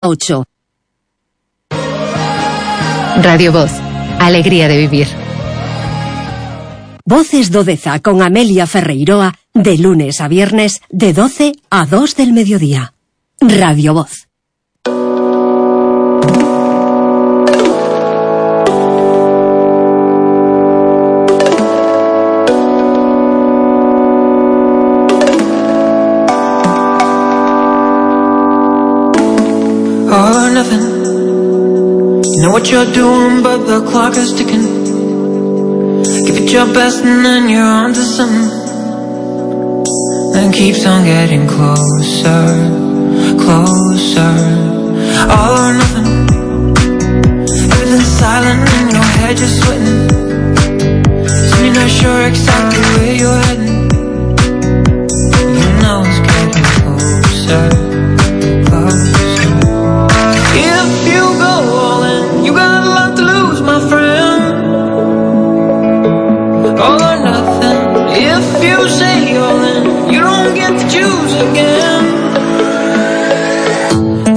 8. Radio Voz, alegría de vivir. Voces do Deza con Amelia Ferreiroa, de lunes a viernes, de 12 a 2 del mediodía. Radio Voz. All or nothing. You know what you're doing, but the clock is ticking. Give it your best and then you're on to something. And it keeps on getting closer, closer. All or nothing. Everything's silent in your head, you're sweating. So you're not sure exactly where you're heading. You know it's getting closer, closer. If you go all in, you got a lot to lose, my friend. All or nothing. If you say all in, you don't get to choose again.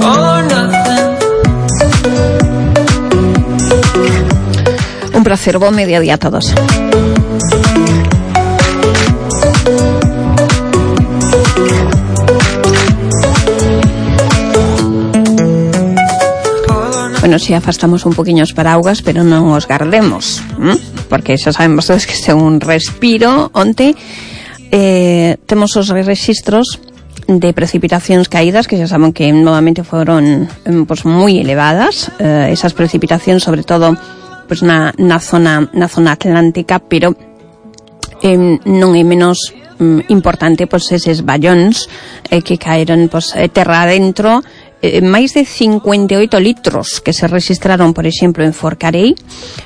All or nothing. Un placer, buen mediodía a todos. Bueno, si afastamos un poquinho os paraugas, pero non os gardemos, porque xa saben vostedes que este é un respiro. Onte temos os rexistros de precipitacións caídas, que xa saben que novamente foron pues, moi elevadas, esas precipitacións sobre todo pues, na zona atlántica, pero non é menos importante pues, eses vallóns que caeron pues, terra adentro. Máis de 58 litros que se registraron, por exemplo, en Forcarei.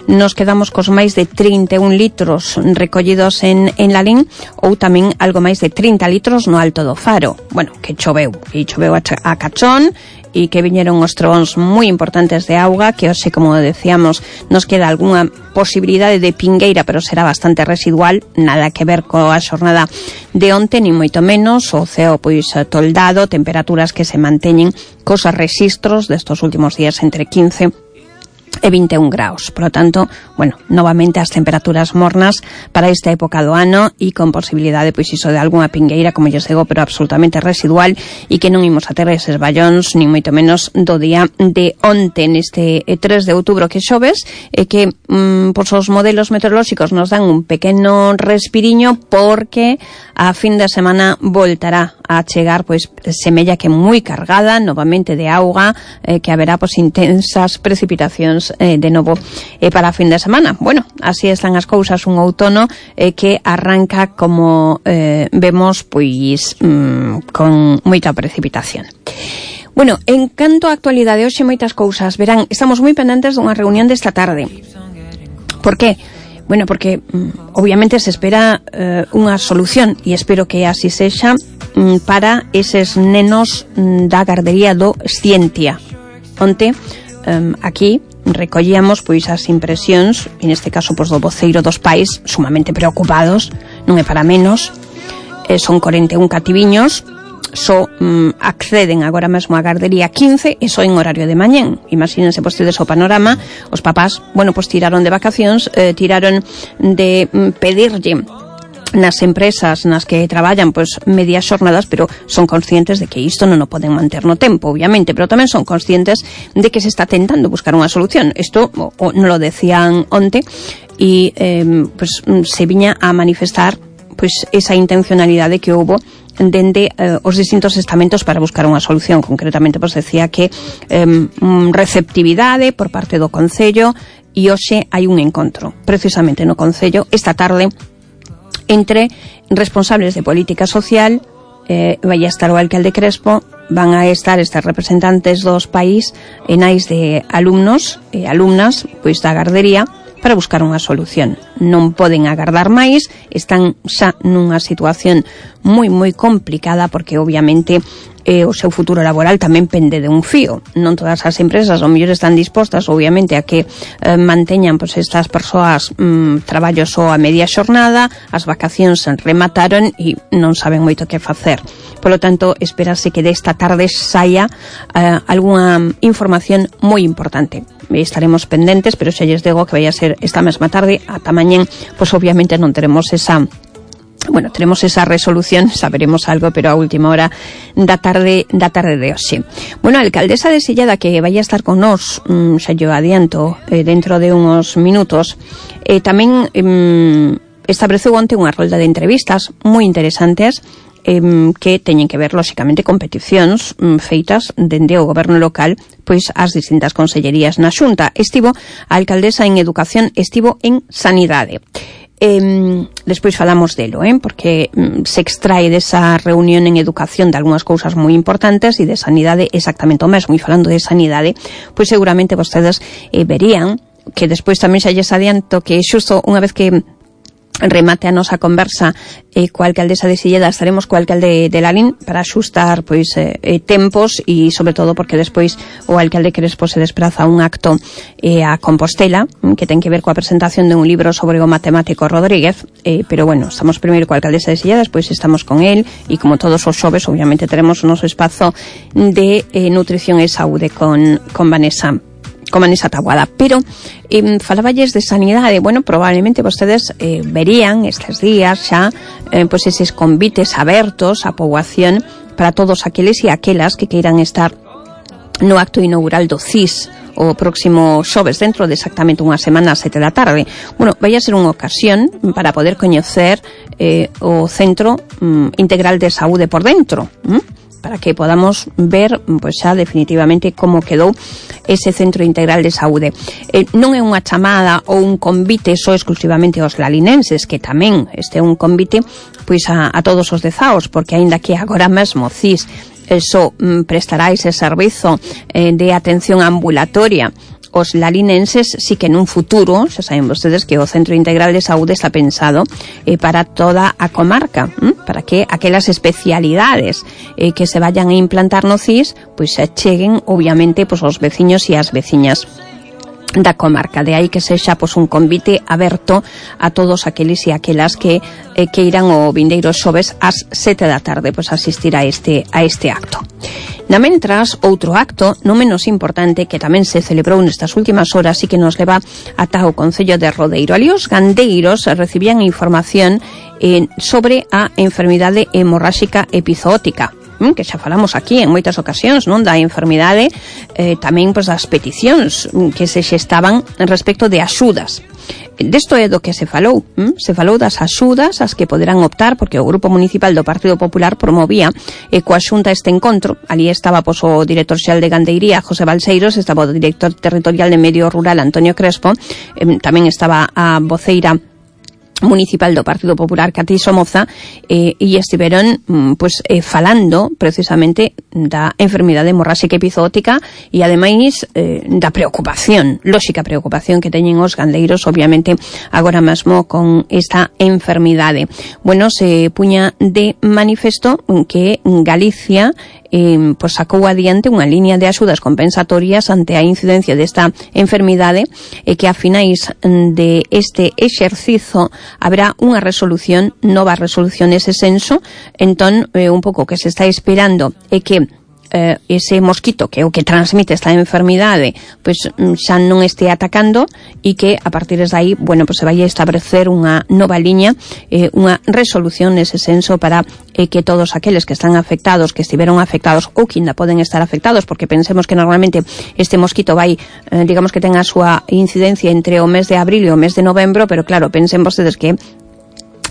Nos quedamos cos máis de 31 litros recollidos en Lalín, ou tamén algo máis de 30 litros no Alto do Faro. Bueno, que choveu a cachón, e que viñeron os trovóns moi importantes de auga, que hoxe, como decíamos, nos queda algunha posibilidade de pingueira, pero será bastante residual, nada que ver coa xornada de onte, ni moito menos. O ceo pois toldado, temperaturas que se manteñen cos rexistros destos últimos días entre 15 e 21 graus. Por lo tanto, bueno, novamente as temperaturas mornas para esta época do ano e con posibilidade, pois iso, de algunha pingueira, como yo digo, pero absolutamente residual, e que non imos a ter eses vallóns, ni moito menos do día de onte, neste 3 de outubro que xoves, e que pois os modelos meteorolóxicos nos dan un pequeno respiriño, porque a fin de semana voltará a chegar, pois semella que moi cargada novamente de auga, que haberá pois intensas precipitacións de novo para a fin de semana. Bueno, así están as cousas, un outono que arranca, como vemos, pois con moita precipitación. Bueno, en canto á actualidade, hoxe moitas cousas. Verán, estamos moi pendentes dunha reunión desta tarde. Por qué? Bueno, porque obviamente se espera unha solución, e espero que así sexa, para eses nenos da gardería do Scientia. Onte, aquí recollíamos pois as impresións, e neste caso pois do voceiro dos pais, sumamente preocupados, non é para menos. Son 41 cativiños, só acceden agora mesmo á gardería 15, e só en horario de mañén. Imagínense vostedes o panorama. Os papás, bueno, pois tiraron de vacacións, tiraron de pedirlle nas empresas nas que traballan pois medias xornadas, pero son conscientes de que isto non o poden manter no tempo, obviamente, pero tamén son conscientes de que se está tentando buscar unha solución. Isto non lo decían onte, e pois se viña a manifestar pois esa intencionalidade que houbo dende os distintos estamentos para buscar unha solución. Concretamente, pois decía que receptividade por parte do Concello, e hoxe hai un encontro precisamente no Concello esta tarde entre responsables de política social. Vai a estar o alcalde Crespo, van a estar estes representantes dos país e nais de alumnos e alumnas pois da gardería, para buscar unha solución. Non poden agardar máis, están xa nunha situación moi complicada, porque obviamente o seu futuro laboral tamén pende de un fío. Non todas as empresas ao mellor están dispostas, obviamente, a que manteñan pois estas persoas traballos só a media xornada, as vacacións se remataron e non saben moito que facer. Polo tanto, espérase que desta tarde saia algunha información moi importante. Estaremos pendentes, pero xa lles digo que vai a ser esta mesma tarde, ata mañén, pois obviamente non teremos tenemos esa resolución, saberemos algo, pero a última hora da tarde de hoxe. Bueno, a alcaldesa de Silleda, que vai a estar con nós, xa yo adianto, dentro de uns minutos, tamén estableceu onte unha rolda de entrevistas moi interesantes, que teñen que ver, lóxicamente, con peticións feitas dende o goberno local pois as distintas consellerías na Xunta. Estivo a alcaldesa en Educación, estivo en Sanidade. Despois falamos delo, porque se extrae desa reunión en Educación de algunhas cousas moi importantes e de Sanidade exactamente o mesmo. E falando de Sanidade, pois seguramente vostedes verían que despois tamén xa lles adianto que xusto unha vez que remate a nosa conversa coa alcaldesa de Silleda, estaremos co alcalde de Lalín para axustar pois tempos e sobre todo porque despois o alcalde Crespo se despraza a un acto a Compostela que ten que ver coa presentación de un libro sobre o matemático Rodríguez, pero bueno, estamos primeiro coa alcaldesa de Silleda, despois estamos con el e como todos os xoves obviamente teremos o noso espazo de nutrición e saúde con Vanessa Taboada. Pero falaballes de sanidade. Bueno, probablemente vostedes verían estes días xa pois eses convites abertos á poboación para todos aqueles e aquelas que queiran estar no acto inaugural do CIS o próximo xoves, dentro de exactamente unha semana, ás 7 da tarde. Bueno, vai a ser unha ocasión para poder coñecer o Centro Integral de Saúde por dentro, para que podamos ver pois xa definitivamente como quedou ese Centro Integral de Saúde. Non é unha chamada ou un convite só exclusivamente aos lalinenses, que tamén este é un convite pois a todos os dezaos, porque aínda que agora mesmo CIS só prestará ese servizo de atención ambulatoria os lalinenses, sí que nun futuro, xa saben vostedes que o Centro Integral de Saúde está pensado para toda a comarca, para que aquelas especialidades que se vayan a implantar no CIS, pois se cheguen, obviamente, pois aos veciños e ás veciñas da comarca. De aí que sexa pois un convite aberto a todos aqueles e aquelas que irán o vindeiro xoves ás 7 da tarde pois asistir a este acto. Na mentras, outro acto non menos importante que tamén se celebrou nestas últimas horas e que nos leva ata o Concello de Rodeiro. Ali os gandeiros recibían información sobre a enfermidade hemorráxica epizootica, que xa falamos aquí en moitas ocasións, non, da enfermidade, tamén pois das peticións que se xestaban respecto de axudas. Desto é do que se falou das axudas as que poderán optar, porque o Grupo Municipal do Partido Popular promovía coa Xunta este encontro. Ali estaba pois o director xeral de Gandeiría, José Balseiros, estaba o director territorial de Medio Rural, Antonio Crespo, tamén estaba a voceira municipal do Partido Popular, Cati Somoza, e estiveron falando precisamente da enfermidade hemorráxica epizootica e ademais da preocupación, lóxica preocupación que teñen os gandeiros obviamente agora mesmo con esta enfermidade. Bueno, se puña de manifesto que Galicia sacou adiante unha liña de axudas compensatorias ante a incidencia desta enfermidade e que a finais de este exercizo haberá unha resolución, nova resolución nese senso. Entón, un pouco que se está esperando é que ese mosquito que é o que transmite esta enfermidade pois xa non este atacando e que a partir de aí, bueno, pois se vai a establecer unha nova liña, unha resolución nese senso para que todos aqueles que están afectados, que estiveron afectados ou que ainda poden estar afectados, porque pensemos que normalmente este mosquito vai, digamos que ten a súa incidencia entre o mes de abril e o mes de novembro, pero claro, pensen vostedes que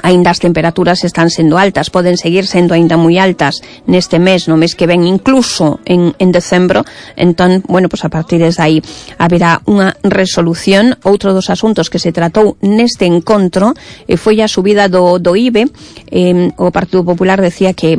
aínda as temperaturas están sendo altas, poden seguir sendo aínda moi altas neste mes, no mes que ven, incluso en decembro. Entón, bueno, pois a partir de aí haberá unha resolución. Outro dos asuntos que se tratou neste encontro foi a subida do IBE. O Partido Popular decía que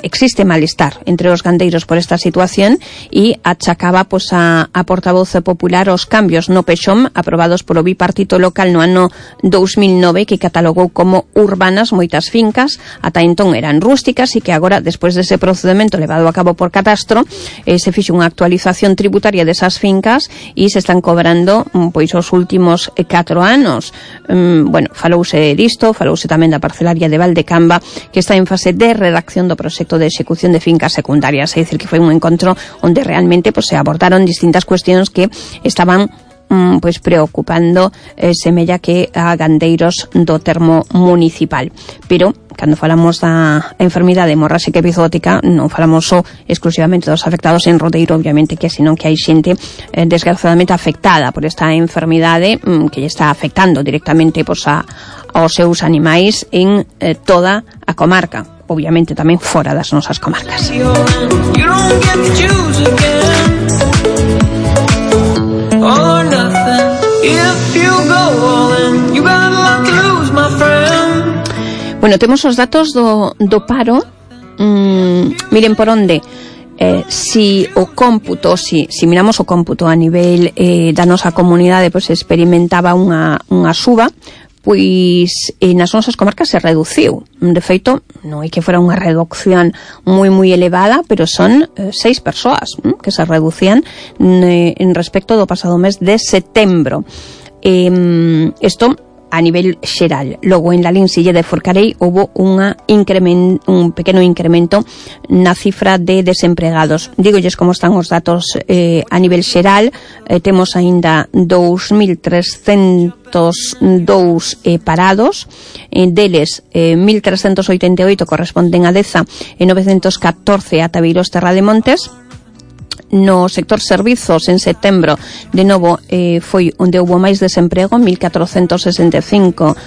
existe malestar entre os gandeiros por esta situación e achacaba pois a portavoz popular os cambios no PEXOM aprobados polo bipartito local no ano 2009 que catalogou como urbanas moitas fincas, ata entón eran rústicas e que agora, despois dese procedimento levado a cabo por catastro, se fixe unha actualización tributaria desas fincas e se están cobrando pois os últimos 4 anos. Falouse disto, falouse tamén da parcelaria de Valdecamba que está en fase de redacción do proxecto de execución de fincas secundarias, é dicir que foi un encontro onde realmente se abordaron distintas cuestións que estaban preocupando semella que a gandeiros do termo municipal. Pero cando falamos da enfermidade hemorráxica epizótica non falamos só exclusivamente dos afectados en Rodeiro, obviamente que senón que hai xente desgraciadamente afectada por esta enfermidade que lle está afectando directamente aos seus animais en toda a comarca, obviamente tamén fora das nosas comarcas. Bueno, temos os datos do paro. Miren por onde. Si o cómputo, si miramos o cómputo a nivel da nosa comunidade, pois experimentaba unha suba, pois nas nosas comarcas se reduciu. De feito, non é que fora unha reducción moi elevada, pero son 6 persoas que se reducían en respecto do pasado mes de setembro. Isto a nivel xeral. Logo, en Lalín, Silla de Forcarei, houve un pequeno incremento na cifra de desempregados. Dígolles como están os datos a nivel xeral. Temos aínda 2.302 parados, deles 1.388 corresponden a Deza e 914 a Tabeiros Terra de Montes. No sector servizos, en setembro, de novo, foi onde houve máis desemprego, 1.465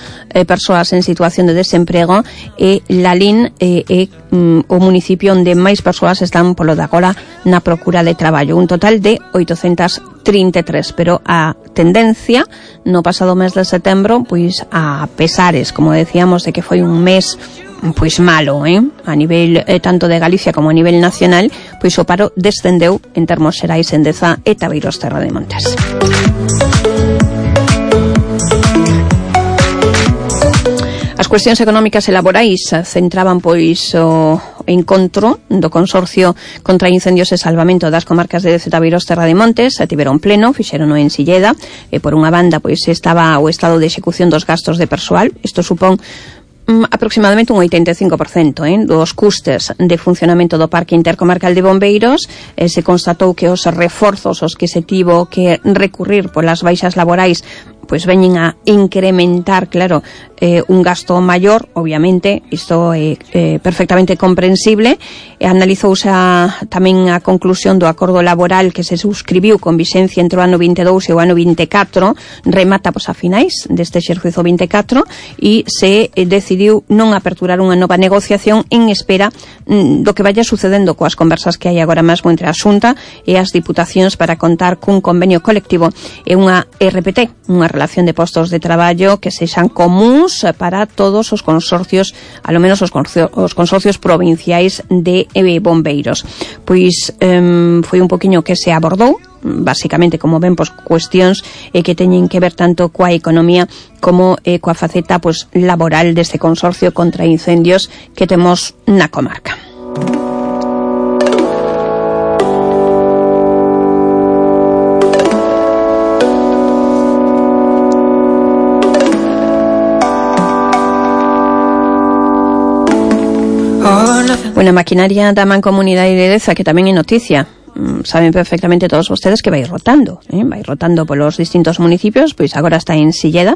persoas en situación de desemprego, e Lalín é o municipio onde máis persoas están polo de agora na procura de traballo, un total de 833, pero a tendencia no pasado mes de setembro, pois a pesares, como decíamos, de que foi un mes pois malo, a nivel tanto de Galicia como a nivel nacional, pois o paro descendeu en termos xerais en Deza e Tabeiros Terra de Montes. As cuestións económicas e laborais centraban pois o encontro do Consorcio contra Incendios e Salvamento das comarcas de Deza e Tabeiros Terra de Montes. Tiveron pleno, fixerono en Silleda, e por unha banda pois estaba o estado de execución dos gastos de persoal. Isto supón aproximadamente un 85% dos custes de funcionamento do Parque Intercomarcal de Bombeiros. Se constatou que os reforzos os que se tivo que recurrir polas baixas laborais pois veñen a incrementar, claro, un gasto maior, obviamente, isto é perfectamente comprensible. Analizouse tamén a conclusión do acordo laboral que se suscribiu con vixencia entre o ano 22 e o ano 24, remata a finais deste exercicio 24, e se decidiu non aperturar unha nova negociación en espera do que vaya sucedendo coas conversas que hai agora mesmo entre a Xunta e as diputacións para contar cun convenio colectivo e unha RPT, unha relación de postos de traballo que sexan comuns para todos os consorcios, alo menos os consorcios provinciais de bombeiros. Pois foi un poquinho que se abordou, basicamente, como ven, pois cuestións que teñen que ver tanto coa economía como coa faceta pois laboral deste consorcio contra incendios que temos na comarca. Bueno, a maquinaria da Mancomunidade de Deza, que tamén é noticia, saben perfectamente todos vostedes que vai rotando polos distintos municipios, pois agora está en Silleda,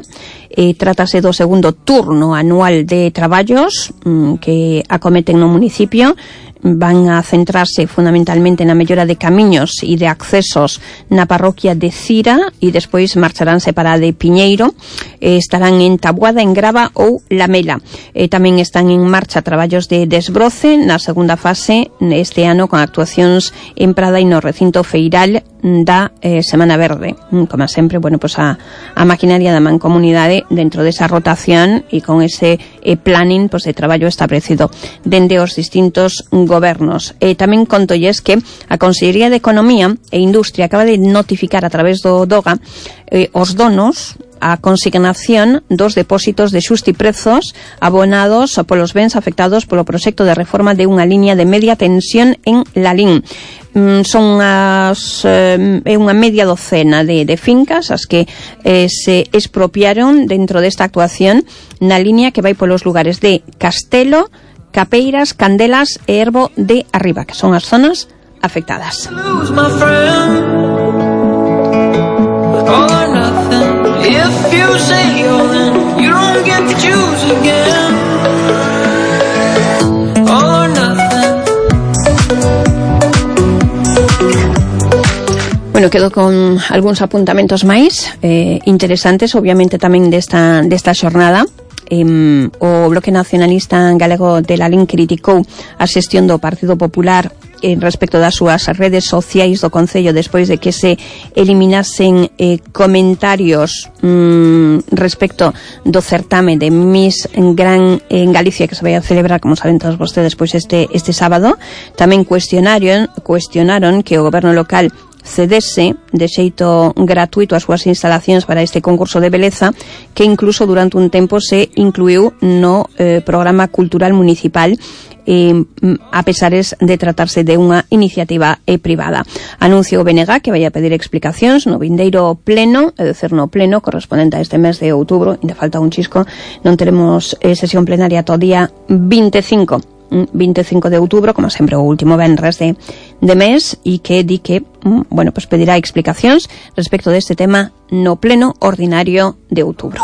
trátase do segundo turno anual de traballos que acometen no municipio. Van a centrarse fundamentalmente na mellora de camiños e de accesos na parroquia de Cira e despois marcharánse para a de Piñeiro. Estarán en Taboada, en Grava ou Lamela. Tamén están en marcha traballos de desbroce na segunda fase este ano, con actuacións en Prada e no recinto feiral da Semana Verde. Como sempre, bueno, pues a maquinaria da Mancomunidade dentro desa rotación e con ese planning pues, de traballo establecido dende os distintos gobernos. Tamén contolles que a Consellería de Economía e Industria acaba de notificar a través do DOGA os donos a consignación dos depósitos de xustiprezos abonados polos bens afectados polo proxecto de reforma de unha liña de media tensión en Lalín. Son unha media docena de fincas as que se expropiaron dentro desta actuación na liña que vai polos lugares de Castelo, Capeiras, Candelas e Erbo de Arriba, que son as zonas afectadas. If you say all in, you don't get to choose again. All or nothing. Bueno, quedo con algúns apuntamentos máis interesantes, obviamente tamén desta xornada. O Bloque Nacionalista Galego de Lalín criticou a xestión do Partido Popular respecto das súas redes sociais do Concello despois de que se eliminasen comentarios respecto do certame de Miss Gran en Galicia que se vai a celebrar, como saben todos vostedes, pois este sábado. Tamén cuestionaron que o goberno local cedese de xeito gratuito as súas instalacións para este concurso de beleza que incluso durante un tempo se incluiu no programa cultural municipal a pesares de tratarse de unha iniciativa privada. Anuncio o BNG que vai a pedir explicacións no vindeiro pleno, é dicir, no pleno correspondente a este mes de outubro, ainda falta un chisco, non teremos sesión plenaria todo día 25 de outubro, como sempre o último venres de mes, e que di que, bueno, pues pedirá explicacións respecto deste tema no pleno ordinario de outubro.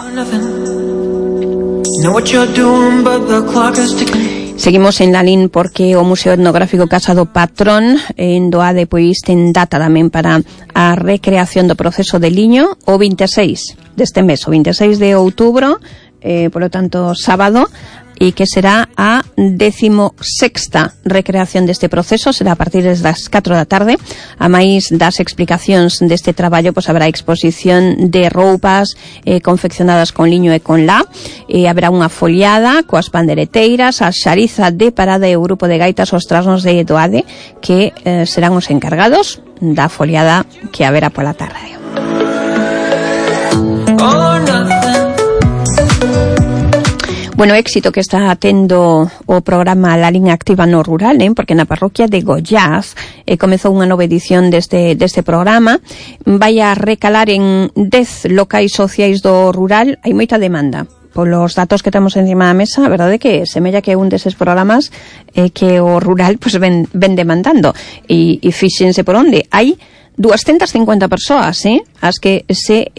Seguimos en Lalín porque o Museo Etnográfico Casa do Patrón en Doade pois ten data tamén para a recreación do proceso de liño o 26 deste mes, o 26 de outubro, polo tanto sábado, e que será a 16ª recreación deste proceso, será a partir das 4 da tarde. A máis das explicacións deste traballo, pois haberá exposición de roupas confeccionadas con liño e con lá, haberá unha foliada coas pandereteiras, a xariza de parada e o grupo de gaitas os trasnos de Doade que serán os encargados da foliada que haberá pola tarde. Bueno, éxito que está tendo o programa Lalín Activa no Rural, porque na parroquia de Goiás comezou unha nova edición deste programa. Vai a recalar en 10 locais sociais do rural. Hai moita demanda. Polos datos que temos encima da mesa, a verdade é que semella que é un deses programas que o rural pues, ven demandando. E fíxense por onde. Hai 250 persoas, as que se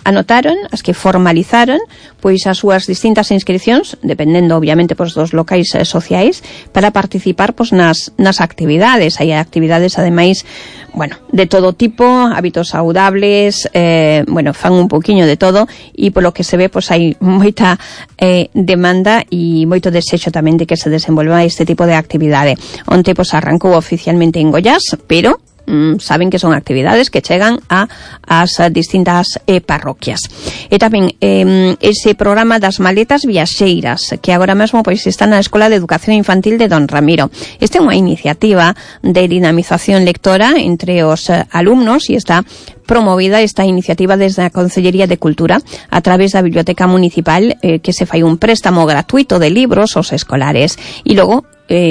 anotaron, as que formalizaron pois as súas distintas inscripcións, dependendo obviamente pois dos locais sociais, para participar pois nas actividades. Hai actividades ademais, bueno, de todo tipo, hábitos saudables, bueno, fan un poquinho de todo, e polo que se ve pois hai moita demanda e moito desexo tamén de que se desenvolva este tipo de actividade. Onte pois arrancou oficialmente en Goiás, pero saben que son actividades que chegan a as distintas parroquias. E tamén ese programa das maletas viaxeiras que agora mesmo pois está na Escola de Educación Infantil de Don Ramiro. Esta é unha iniciativa de dinamización lectora entre os alumnos e está promovida esta iniciativa desde a Consellería de Cultura a través da Biblioteca Municipal, que se fai un préstamo gratuito de libros aos escolares e logo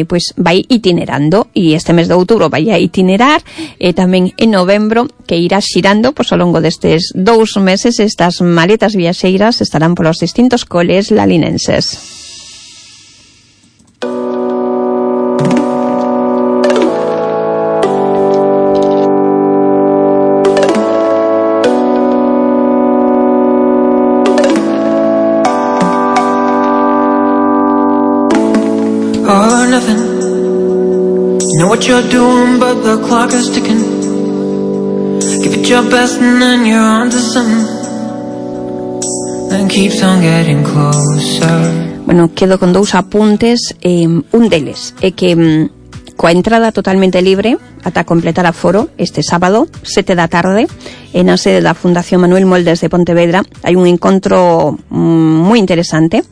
pois vai itinerando, e este mes de outubro vai a itinerar, e tamén en novembro que irá xirando pois ao longo destes 2 meses. Estas maletas viaxeiras estarán polos distintos coles lalinenses. All or nothing. You know what you're doing, but the clock is ticking. Give it your best and then you're on to something. Then keeps on getting closer. Bueno, quedo con 2 apuntes. Un deles é que coa entrada totalmente libre ata completar aforo este sábado, 7 da tarde, na sede da Fundación Manuel Moldes de Pontevedra. Hai un encontro moi interesante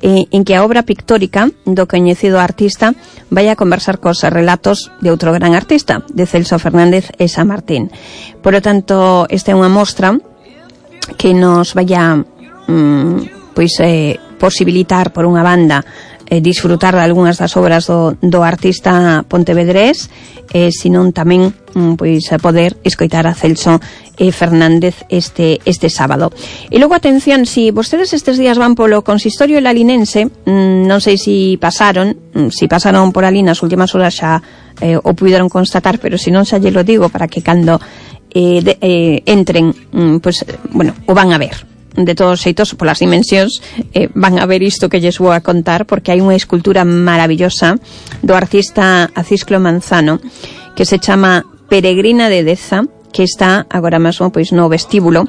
en que a obra pictórica do coñecido artista vai a conversar cos relatos de outro gran artista, de Celso Fernández e San Martín. Por lo tanto, esta é unha mostra que nos vai a posibilitar, por unha banda, disfrutar de algunhas das obras do artista pontevedrés, senón tamén poder escoitar a Celso Fernández este sábado. E logo, atención, si vostedes estes días van polo consistorio lalinense, non sei si pasaron por ali nas últimas horas xa o puderon constatar, pero se non xa lle lo digo para que cando entren, o van a ver. De todos xeitos, polas dimensións, van a ver isto que lles vou a contar, porque hai unha escultura maravillosa do artista Acisclo Manzano que se chama Peregrina de Deza, que está agora mesmo no vestíbulo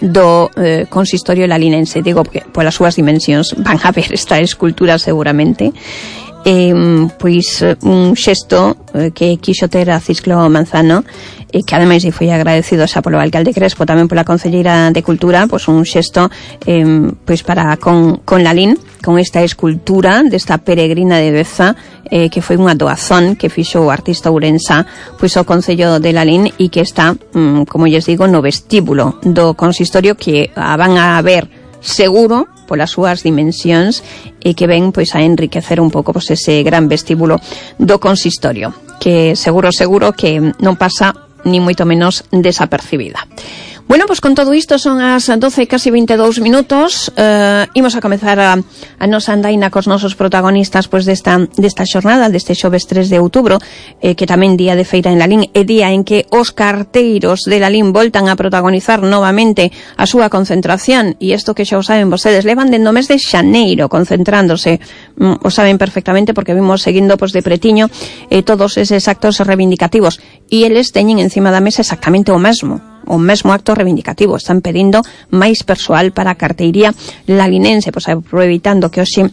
do consistorio lalinense. Digo porque polas súas dimensións van a ver esta escultura seguramente. Un xesto que quixo ter a Acisclo Manzano, que ademais foi agradecido xa polo alcalde Crespo, tamén pola concelleira de Cultura, un xesto para con Lalín, con esta escultura desta Peregrina de Deza, que foi unha doazón que fixo o artista ourensa ao concello de Lalín, e que está, como lles digo, no vestíbulo do consistorio, que a van a ver seguro polas súas dimensións, e que ven a enriquecer un pouco ese gran vestíbulo do consistorio, que seguro que non pasa ni moito menos desapercibida. Bueno, con todo isto son as 12 casi 22 minutos. Imos a comezar a nosa andaina cos nosos protagonistas desta xornada, deste xoves 3 de outubro, que tamén día de feira en Lalín, e día en que os carteiros de Lalín voltan a protagonizar novamente a súa concentración. E isto que xa o saben vostedes, levan dende o mes de xaneiro concentrándose, o saben perfectamente porque vimos seguindo de pretiño todos eses actos reivindicativos, e eles teñen encima da mesa exactamente o mesmo acto reivindicativo. Están pedindo máis persoal para a carteiría lalinense, aproveitando que hoxe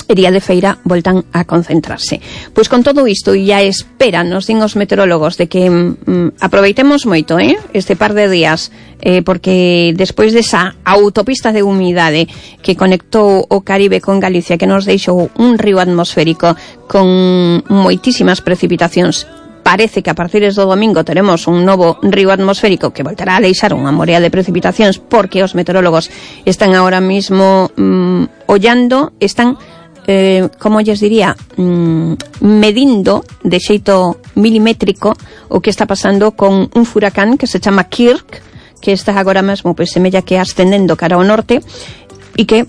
e día de feira voltan a concentrarse. Con todo isto, e a espera, nos din os meteorólogos, de que aproveitemos moito este par de días, porque despois desa autopista de humidade que conectou o Caribe con Galicia, que nos deixou un río atmosférico con moitísimas precipitacións, parece que a partir do domingo teremos un novo río atmosférico que voltará a deixar unha morea de precipitacións, porque os meteorólogos están ahora mismo ollando, están, como lles diría, medindo de xeito milimétrico o que está pasando con un furacán que se chama Kirk, que está agora mesmo semella que ascendendo cara ao norte, e que,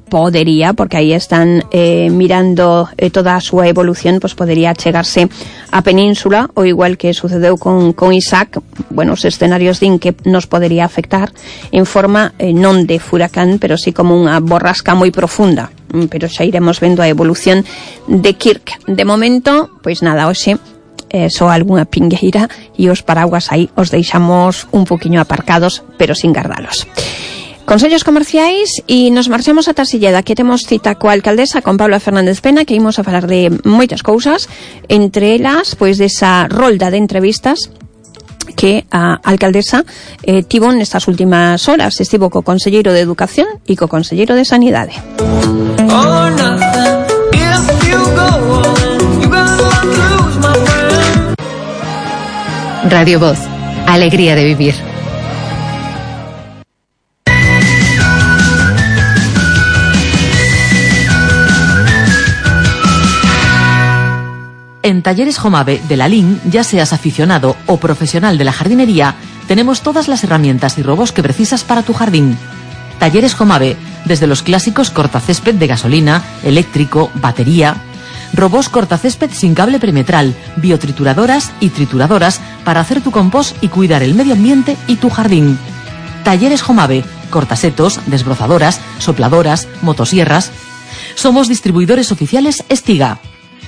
podería, porque aí están mirando toda a súa evolución, podería chegarse á península, ou igual que sucedeu con Isaac. Os escenarios din que nos podería afectar en forma non de furacán, pero sí como unha borrasca moi profunda, pero xa iremos vendo a evolución de Kirk. De momento, nada, hoxe só algunha pingueira, e os paraguas aí os deixamos un poquinho aparcados, pero sin gardalos. Consellos comerciais, e nos marchamos ata Silleda, que temos cita coa alcaldesa, con Paula Fernández Pena, que imos a falar de moitas cousas, entre elas, desa rolda de entrevistas que a alcaldesa tivo nestas últimas horas. Estivo co conselleiro de Educación e co conselleiro de Sanidade. Radio Voz, alegría de vivir. En Talleres Jomave de Lalín, ya seas aficionado o profesional de la jardinería, tenemos todas las herramientas y robos que precisas para tu jardín. Talleres Jomave, desde los clásicos cortacésped de gasolina, eléctrico, batería, robos cortacésped sin cable perimetral, biotrituradoras y trituradoras para hacer tu compost y cuidar el medio ambiente y tu jardín. Talleres Jomave, cortasetos, desbrozadoras, sopladoras, motosierras. Somos distribuidores oficiales Estiga.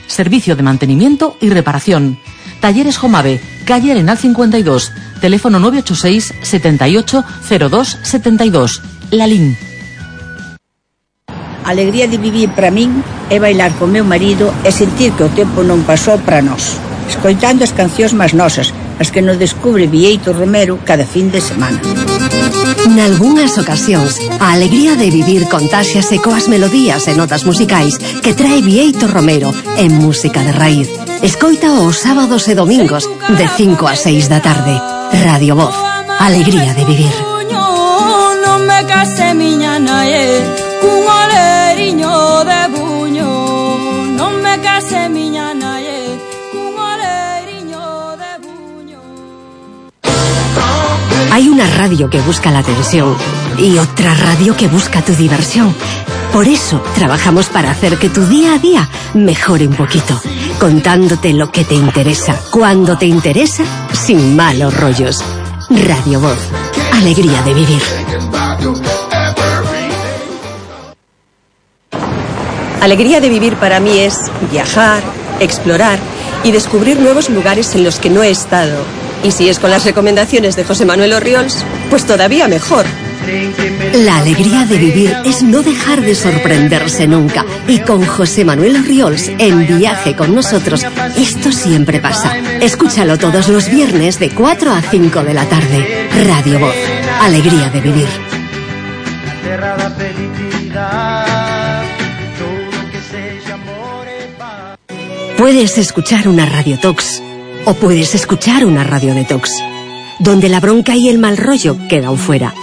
Servicio de mantenimiento y reparación. Talleres Jomave, calle Arenal 52, teléfono 986 78 02 72. Lalín. A alegría de vivir para min é bailar con meu marido e sentir que o tempo non pasou para nós, escoitando as cancións máis nosas, as que nos descubre Bieito Romero cada fin de semana. Nalgúnas ocasións, a alegría de vivir contáxiase coas melodías e notas musicais que trae Bieito Romero en música de raíz. Escoita os sábados e domingos de 5 a 6 da tarde. Radio Voz, alegría de vivir. Non me case miña nae, cun oleriño de buño. Non me case miña nae, cun oleriño de buño. Hay una radio que busca la atención y otra radio que busca tu diversión. Por eso trabajamos para hacer que tu día a día mejore un poquito, contándote lo que te interesa, cuando te interesa, sin malos rollos. Radio Voz, alegría de vivir. Alegría de vivir para mí es viajar, explorar y descubrir nuevos lugares en los que no he estado. Y si es con las recomendaciones de José Manuel Orriols, pues todavía mejor. La alegría de vivir es no dejar de sorprenderse nunca. Y con José Manuel Orriols en Viaje con nosotros, esto siempre pasa. Escúchalo todos los viernes de 4 a 5 de la tarde. Radio Voz, alegría de vivir. Puedes escuchar una Radio Tox o puedes escuchar una Radio Detox, donde la bronca y el mal rollo quedan fuera.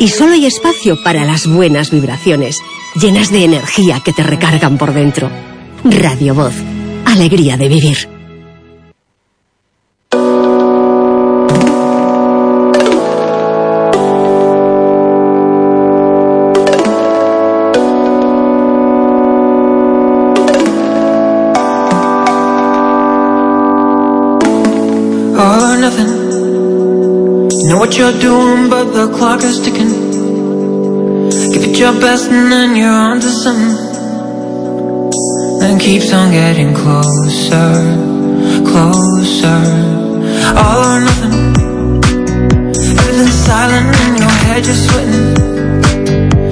Y solo hay espacio para las buenas vibraciones, llenas de energía que te recargan por dentro. Radio Voz, alegría de vivir. All or nothing. You know what you're doing, but the clock is ticking. Give it your best and then you're on to something. Then keeps on getting closer, closer. All or nothing. Everything's silent in your head, you're sweating.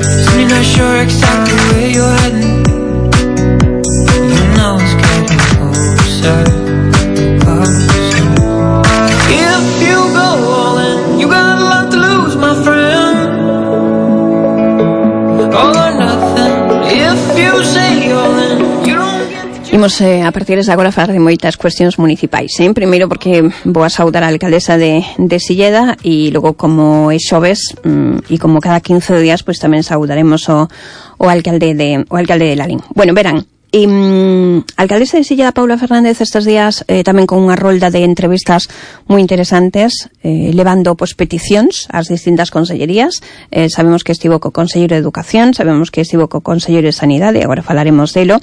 Soon you're not sure exactly where you're heading. You know it's getting closer, closer. If you go all in, you got a lot to lose, my friend. All or nothing. If you say all in, you don't get. Imos a partir de agora falar de moitas cuestións municipais, Primeiro porque vou a saudar a alcaldesa de Silleda e logo como é xoves e como cada 15 días pois tamén saudaremos o alcalde de Lalín. Bueno, verán, alcaldesa de Silleda Paula Fernández estes días tamén con unha rolda de entrevistas moi interesantes, levando peticións ás distintas consellerías. Sabemos que estivo co Conselleiro de Educación, sabemos que estivo co Conselleiro de Sanidade, agora falaremos delo.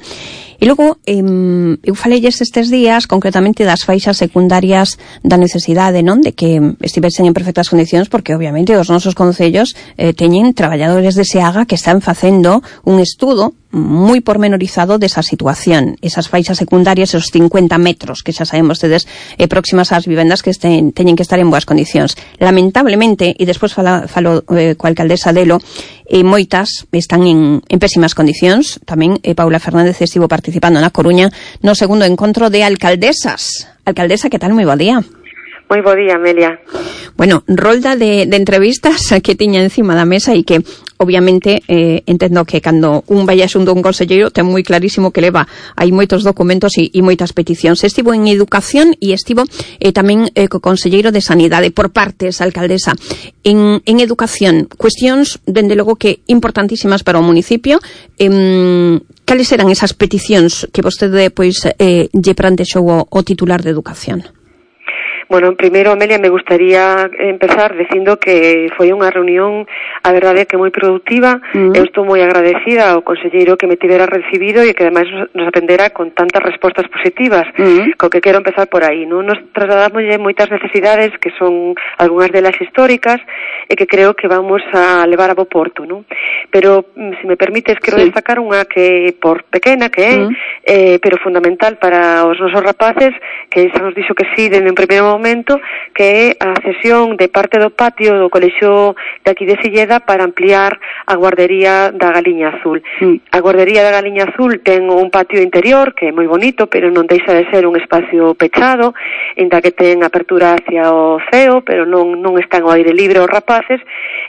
E logo, eu falelles estes días concretamente das faixas secundarias da necesidade, non, de que estivesen en perfectas condicións, porque obviamente os nosos concellos teñen traballadores de SEAGA que están facendo un estudo moi pormenorizado desa situación, esas faixas secundarias, esos 50 metros que xa sabemos tedes próximas ás vivendas que teñen que estar en boas condicións. Lamentablemente, e despois falo coa alcaldesa delo, moitas están en pésimas condicións. Tamén Paula Fernández estivo participando na Coruña no segundo encontro de alcaldesas. Alcaldesa, que tal? Moi bo día. Moi bo día, Amelia. Bueno, rolda de entrevistas que tiña encima da mesa e que obviamente entendo que cando un vai xunto un conselleiro ten moi clarísimo que leva hai moitos documentos e moitas peticións. Estivo en Educación e estivo tamén co Conselleiro de Sanidade por partes, alcaldesa. En Educación, cuestións dende logo que importantísimas para o municipio. Cales eran esas peticións que vostede pois lle plantexou o titular de Educación? Bueno, primeiro, Amelia, me gustaría empezar dicindo que foi unha reunión, a verdade, que moi productiva. Eu estou moi agradecida ao conselleiro que me tivera recibido e que ademais nos atendera con tantas respostas positivas, co que quero empezar por aí, non? Nos trasladamos moitas necesidades que son algunhas delas históricas e que creo que vamos a levar a bo porto, non? Pero, se me permites, quero destacar unha que, por pequena que é, pero fundamental para os nosos rapaces, que xa nos dixo que sí, dende un primeiro momento, que é a cesión de parte do patio do colexio de aquí de Silleda para ampliar a guardería da Galiña Azul. A guardería da Galiña Azul ten un patio interior que é moi bonito, pero non deixa de ser un espacio pechado, inda que ten apertura hacia o ceo, pero non están ao aire libre os rapaces,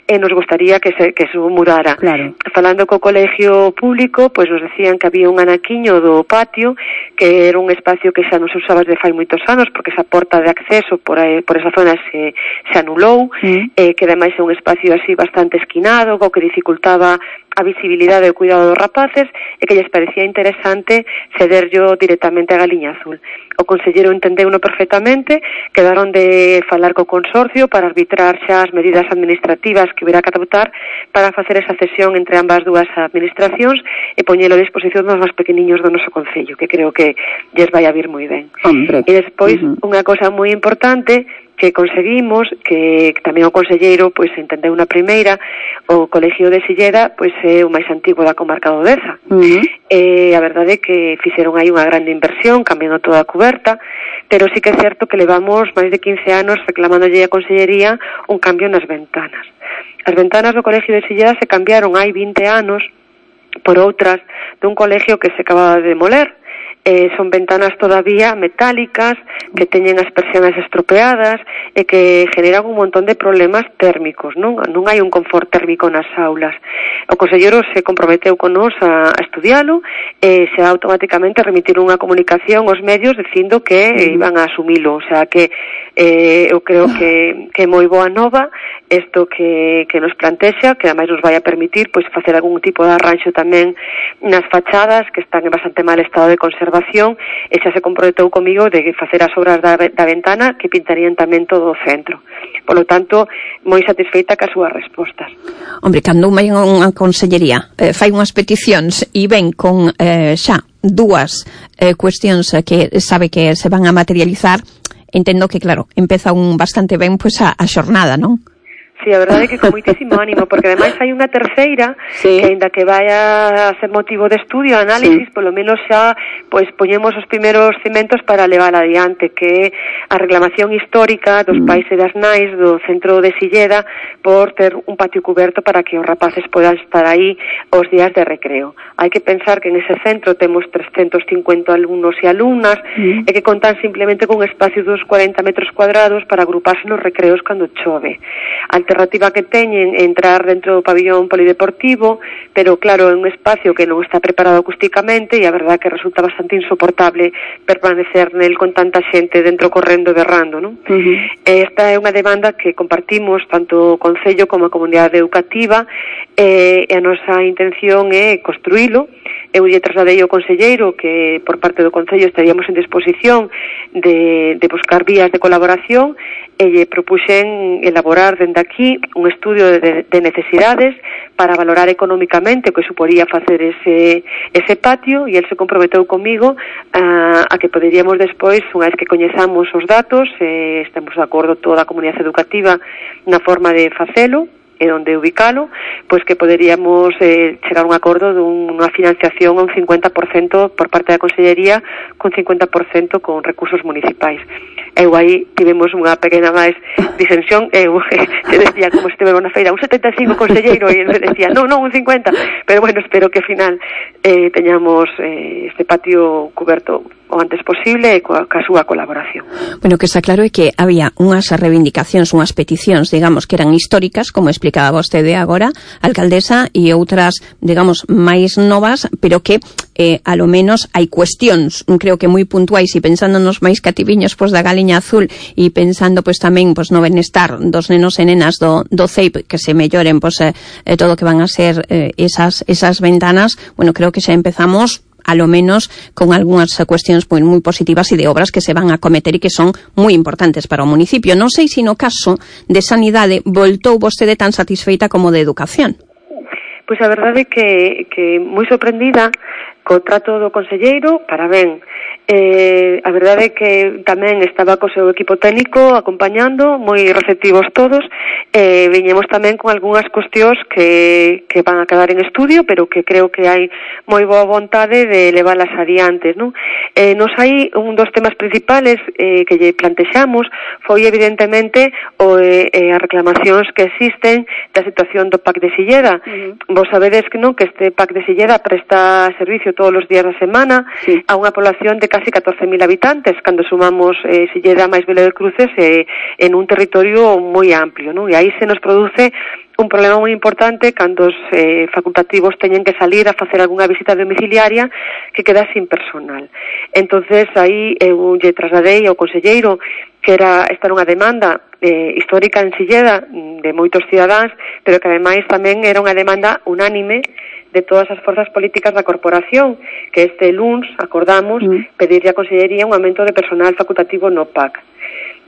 e nos gustaría que se mudara. Claro. Falando co colegio público, pois nos decían que había un anaquiño do patio, que era un espacio que xa non se usaba desde fai moitos anos, porque esa porta de acceso por esa zona se anulou, que ademais é un espacio así bastante esquinado, co que dificultaba a visibilidade e o cuidado dos rapaces, e que lles parecía interesante cederllo directamente a Galiña Azul. O conselleiro entendeuno perfectamente, quedaron de falar co consorcio para arbitrar xa as medidas administrativas que hubiera que adoptar para facer esa cesión entre ambas dúas administracións e poñelo a disposición dos máis pequeniños do noso concello, que creo que lles vai a vir moi ben. Hombre. E despois, unha cosa moi importante que conseguimos, que tamén o conselleiro pois entendeu na primeira, o colegio de Silleda pois é o máis antigo da comarca do Deza. A verdade é que fixeron aí unha grande inversión cambiando toda a cuberta, pero sí que é certo que levamos máis de 15 anos reclamándolle a consellería un cambio nas ventanas. As ventanas do colegio de Silleda se cambiaron hai 20 anos por outras dun colegio que se acababa de demoler. Son ventanas todavía metálicas que teñen as persianas estropeadas e que generan un montón de problemas térmicos, non hai un confort térmico nas aulas. O conselleiro se comprometeu con nós a estudialo e se automáticamente remitiron unha comunicación aos medios dicindo que iban a asumilo, o sea que eu creo que é moi boa nova isto que nos plantexa, que ademais nos vai a permitir pois facer algún tipo de arranxo tamén nas fachadas que están en bastante mal estado de conservación, e xa se comprometeu comigo de facer as obras da ventana que pintarían tamén todo o centro. Por lo tanto, moi satisfeita cas súas respostas. Hombre, cando unha consellería fai unhas peticións e ven con xa dúas cuestións que sabe que se van a materializar, entendo que, claro, empeza bastante ben pois a xornada, non? Sí, a verdade é que con moitísimo ánimo, porque ademais hai unha terceira que aínda que vai a ser motivo de estudio, análisis, polo menos xa pois poñemos os primeiros cimentos para levar adiante, que é a reclamación histórica dos pais e das nais do centro de Silleda por ter un patio cuberto para que os rapaces podan estar aí os días de recreo. Hai que pensar que en ese centro temos 350 alumnos e alumnas e que contan simplemente con un espacio de 40 metros cuadrados para agruparse nos recreos cando chove. A alternativa que teñen é entrar dentro do pabillón polideportivo, pero claro, é un espacio que non está preparado acústicamente e a verdade que resulta bastante insoportable permanecer nel con tanta xente dentro correndo e berrando, non? Esta é unha demanda que compartimos tanto o Concello como a comunidade educativa e a nosa intención é construílo. Eu lle trasladei ao conselleiro que por parte do Concello estaríamos en disposición de buscar vías de colaboración e lle propuxen elaborar dende aquí un estudio de necesidades para valorar económicamente o que suporía facer ese patio, e el se comprometeu comigo a que poderíamos despois, unha vez que coñezamos os datos, estamos de acordo toda a comunidade educativa na forma de facelo e onde ubicalo, pois que poderíamos chegar a un acordo dunha financiación a un 50% por parte da Consellería, con 50% con recursos municipais. Eu aí tivemos unha pequena máis disensión, eu decía como se estivera na feira un 75 conselleiro e ele decía non, un 50, pero bueno, espero que ao final teñamos este patio cuberto o antes posible e coa súa colaboración. Bueno, que está claro é que había unhas reivindicacións, unhas peticións, digamos, que eran históricas, como explicaba vostede agora, alcaldesa, e outras, digamos, máis novas, pero que a lo menos hai cuestións, creo que moi puntuais, e pensando nos máis cativiños pois da Galiña Azul e pensando pois tamén pois no benestar dos nenos e nenas do CEIP, que se melloren pois todo o que van a ser esas ventanas, bueno, creo que xa empezamos a lo menos con algunhas cuestións moi positivas e de obras que se van a cometer e que son moi importantes para o municipio. Non sei se no caso de sanidade voltou vostede tan satisfeita como de educación. Pois a verdade é que moi sorprendida co trato do conselleiro, para ben. A verdade é que tamén estaba co seu equipo técnico acompañando, moi receptivos todos, viñemos tamén con algunhas cuestións que van a quedar en estudio, pero que creo que hai moi boa vontade de leválas adiante, non? Nos hai un dos temas principales que lle plantexamos foi evidentemente as reclamacións que existen da situación do PAC de Silleda. Vos sabedes que non, que este PAC de Silleda presta servicio todos os días da semana a unha población de casi 14.000 habitantes, cando sumamos Silleda máis Vila de Cruces en un territorio moi amplio, non? E aí se nos produce un problema moi importante cando os facultativos teñen que salir a facer algunha visita domiciliaria que queda sin personal. Entonces aí eu lle trasladei ao conselleiro que esta era unha demanda histórica en Silleda de moitos cidadáns, pero que ademais tamén era unha demanda unánime de todas as forzas políticas da corporación, que este luns acordamos pedirlle á Consellería un aumento de personal facultativo no PAC.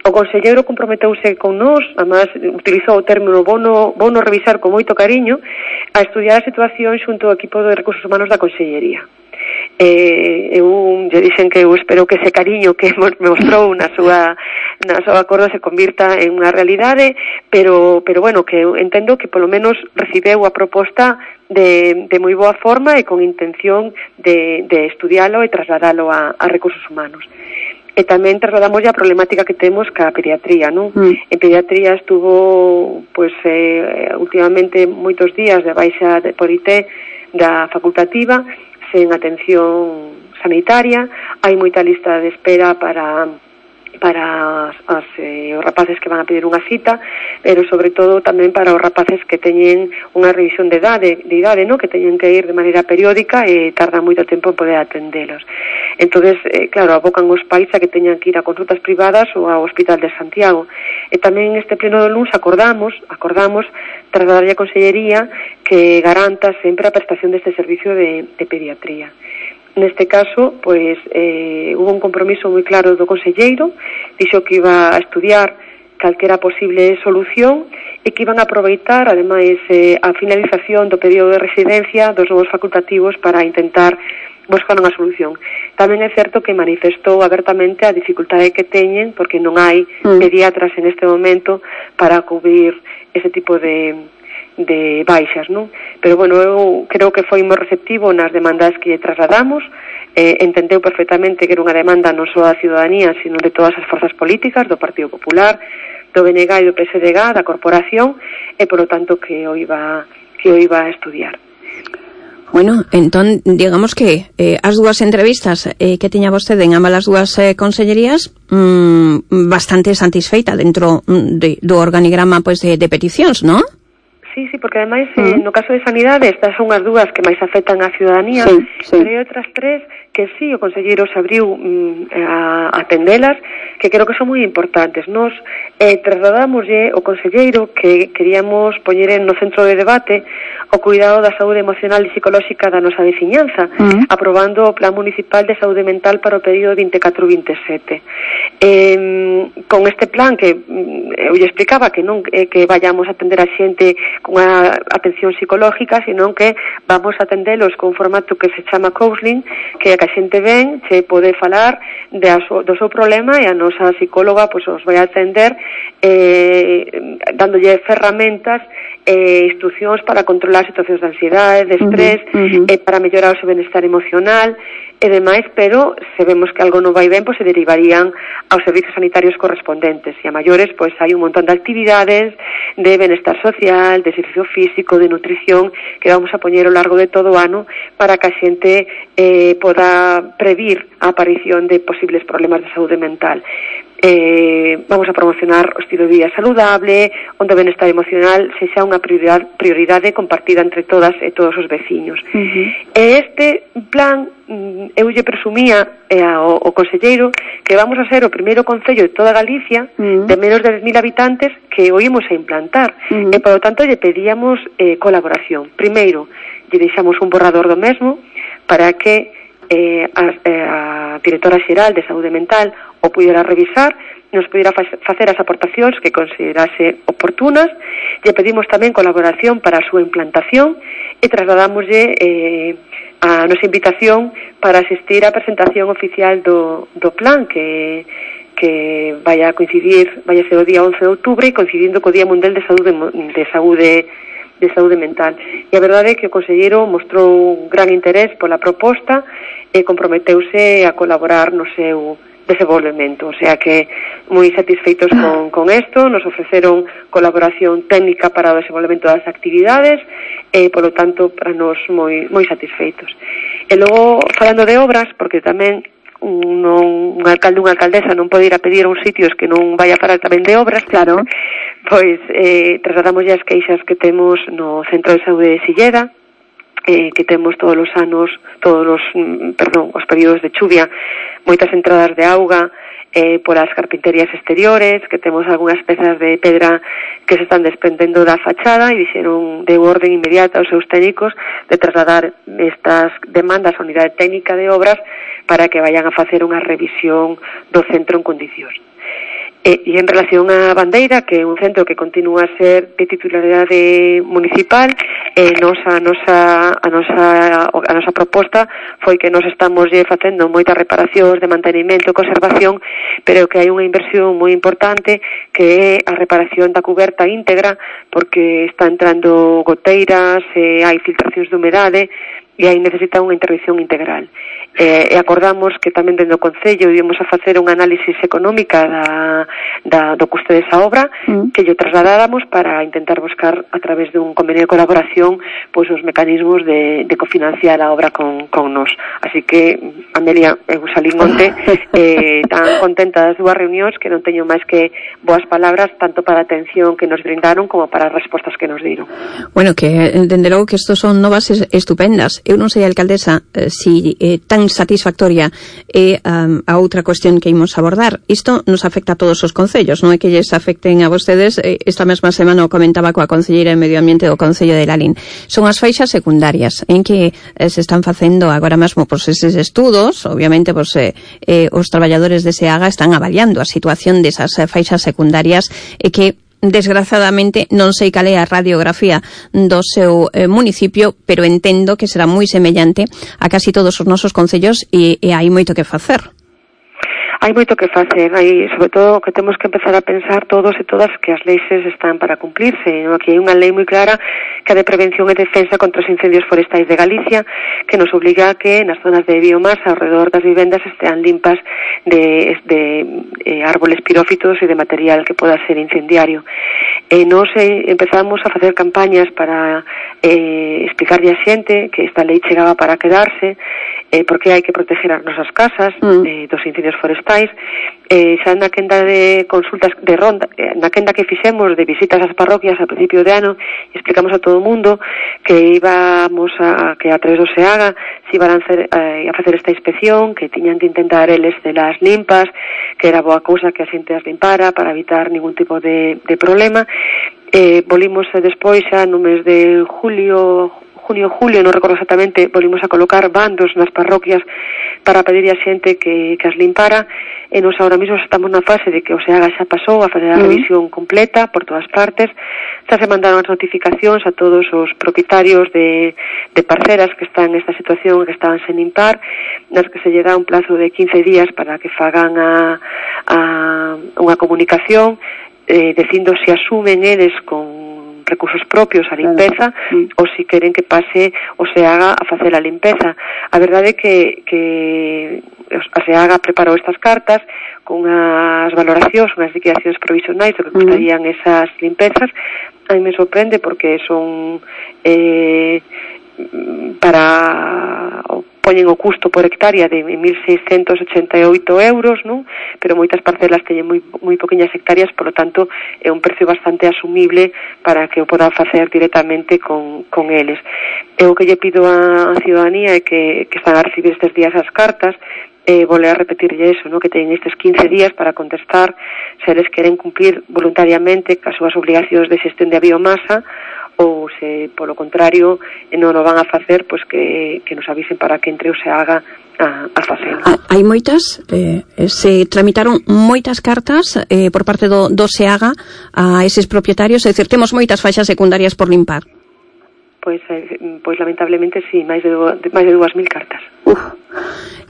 O conselleiro comprometeuse con nós, además utilizou o término vouno revisar con moito cariño, a estudiar a situación xunto ao equipo de recursos humanos da Consellería. Eu lle dixen que eu espero que ese cariño que me mostrou na súa acordo se convirta en unha realidade, pero bueno, que eu entendo que polo menos recibeu a proposta de moi boa forma e con intención de estudialo e trasladalo a recursos humanos. E tamén trasladamos a problemática que temos ca pediatría, non? En pediatría estuvo últimamente moitos días de baixa por IT da facultativa sen atención sanitaria, hai moita lista de espera para os rapaces que van a pedir unha cita, pero sobre todo tamén para os rapaces que teñen unha revisión de idade, no? Que teñen que ir de maneira periódica e tardan moito tempo en poder atendelos. Entonces, claro, abocan os pais a que teñan que ir a consultas privadas ou ao Hospital de Santiago. E tamén neste pleno do luns acordamos trasladarlle a Consellería que garanta sempre a prestación deste servicio de pediatría. Neste caso, pois, hubo un compromiso moi claro do conselleiro, dixo que iba a estudiar calquera posible solución e que iban a aproveitar, ademais, a finalización do período de residencia dos novos facultativos para intentar buscar unha solución. Tamén é certo que manifestou abertamente a dificultade que teñen porque non hai pediatras en este momento para cubrir ese tipo de baixas, non? Pero bueno, eu creo que foi moi receptivo nas demandas que trasladamos, entendeu perfectamente que era unha demanda non só da ciudadanía, sino de todas as forzas políticas, do Partido Popular, do BNG e do PSDG, da corporación, e polo tanto que o iba a estudiar. Bueno, entón, digamos que as dúas entrevistas que tiña vostede en ambas as dúas consellerías bastante satisfeita dentro do organigrama pois de peticións, non? Sí, porque ademais no caso de sanidade estas son as dúas que máis afectan á ciudadanía, pero hai outras tres que sí, o conselleiro se abriu a atendelas, que creo que son moi importantes. Nos trasladámoslle o conselleiro que queríamos poñer no centro de debate o cuidado da saúde emocional e psicolóxica da nosa veciñanza, aprobando o Plan Municipal de Saúde Mental para o período 24-27. Con este plan que eu lle explicaba que non que vayamos a atender a xente con unha atención psicológica, sino que vamos a atendelos con un formato que se chama counseling, que a xente ven, se pode falar do seu problema e a nosa psicóloga pois os vai a atender dándolle ferramentas e instruccións para controlar situacións de ansiedade, de estrés, para mellorar o seu benestar emocional e demais, pero se vemos que algo non vai ben, pois se derivarían aos servizos sanitarios correspondentes. E a maiores, pois hai un montón de actividades de benestar social, de exercicio físico, de nutrición, que vamos a poñer ao largo de todo o ano para que a xente poda previr a aparición de posibles problemas de saúde mental. Vamos a promocionar o estilo de vida saludable, onde o benestar emocional sexa unha prioridade compartida entre todas e todos os veciños. E este plan, eu lle presumía ao conselleiro que vamos a ser o primeiro concello de toda Galicia de menos de 10.000 habitantes que o ímos a implantar, e por lo tanto lle pedíamos colaboración. Primeiro, lle deixamos un borrador do mesmo para que a directora xeral de saúde mental o pudera revisar, nos pudera facer as aportacións que considerase oportunas. Lle pedimos tamén colaboración para a súa implantación e trasladámoslle a nosa invitación para asistir á presentación oficial do plan que vai a ser o día 11 de outubro, coincidindo co Día Mundial de Saúde Mental. E a verdade é que o conselleiro mostrou un gran interés pola proposta e comprometeuse a colaborar no seu desenvolvemento, o sea que moi satisfeitos con isto, nos ofreceron colaboración técnica para o desenvolvemento das actividades e, polo tanto, para nos moi satisfeitos. E logo, falando de obras, porque tamén un alcalde ou unha alcaldesa non pode ir a pedir a uns sitios que non vai a falar tamén de obras, claro, pois trasladamos as queixas que temos no Centro de Saúde de Silleda, que temos todos os períodos de chuvia, moitas entradas de auga polas carpinterías exteriores, que temos algunhas pezas de pedra que se están desprendendo da fachada e dixeron de orden inmediata aos seus técnicos de trasladar estas demandas á unidade técnica de obras para que vayan a facer unha revisión do centro en condicións. E en relación á Bandeira, que é un centro que continúa a ser de titularidade municipal, a nosa proposta foi que nos estamos facendo moitas reparacións de mantenimento e conservación, pero que hai unha inversión moi importante que é a reparación da cuberta íntegra, porque está entrando goteiras, hai filtracións de humedade e aí necesita unha intervención integral. E acordamos que tamén dentro do Concello íbamos a facer unha análisis económica do custe desa obra, que lle trasladáramos para intentar buscar a través dun convenio de colaboración pois os mecanismos de cofinanciar a obra con nós. Así que, Amelia, eu salín onte tan contenta das dúas reunións que non teño máis que boas palabras tanto para a atención que nos brindaron como para as respostas que nos dieron. Bueno, que dende logo que estos son novas estupendas. Eu non sei, alcaldesa, si tan satisfactoria é a outra cuestión que imos abordar. Isto nos afecta a todos os concellos, non é que lles afecten a vostedes. Esta mesma semana o comentaba coa concelleira de Medio Ambiente do Concello de Lalín. Son as faixas secundarias en que se están facendo agora mesmo eses estudos. Obviamente os traballadores de SEAGA están avaliando a situación desas faixas secundarias e que desgraciadamente non sei cal é a radiografía do seu municipio, pero entendo que será moi semellante a casi todos os nosos concellos e hai moito que facer. Hai moito que facer, sobre todo que temos que empezar a pensar todos e todas que as leis están para cumplirse. Aquí hai unha lei moi clara que é de prevención e defensa contra os incendios forestais de Galicia, que nos obliga a que nas zonas de biomasa alrededor das vivendas estean limpas de árboles pirófitos e de material que poda ser incendiario. Nos empezamos a facer campañas para explicarlle a xente que esta lei chegaba para quedarse, porque hai que proteger as nosas casas dos incendios forestais. Xa na quenda de consultas de ronda, na quenda que fixemos de visitas ás parroquias a principio de ano, explicamos a todo o mundo que íbamos que a través do SEAGA se iban a facer esta inspección, que tiñan que intentar eles celas limpas, que era boa cousa que a xente as limpara para evitar ningún tipo de problema. Volvimos despois xa no mes de junio, non recordo exactamente, volvimos a colocar bandos nas parroquias para pedir a xente que as limpara, e nos ahora mesmo estamos na fase de que o SEAGA xa pasou a fazer a revisión completa por todas partes. Xa se mandaron as notificacións a todos os propietarios de parceras que están nesta situación, que estaban sen limpar, nas que se lle dá un plazo de 15 días para que fagan unha comunicación dicindo se asumen eles con recursos propios a limpeza ou se queren que pase o SEAGA a facer a limpeza. A verdade é que a SEAGA preparou estas cartas con unhas valoracións, unhas liquidacións provisionais do que costarían esas limpezas. A mí me sorprende porque son poñen o custo por hectárea de 1.688 euros, non? Pero moitas parcelas teñen moi poqueñas hectáreas, por lo tanto é un precio bastante asumible para que o podan facer directamente con eles. O que lle pido á ciudadanía é que están a recibir estes días as cartas, volver a repetirlle eso, ¿no? Que teñen estes 15 días para contestar se eles queren cumplir voluntariamente cas súas obligacións de xestión de biomasa, ou se, polo contrario, non o van a facer, pois que nos avisen para que entre o SEAGA a facelo. Hai moitas, se tramitaron moitas cartas por parte do SEAGA a eses propietarios, é dicir, temos moitas faixas secundarias por limpar. pois lamentablemente sí, máis de 2.000 cartas.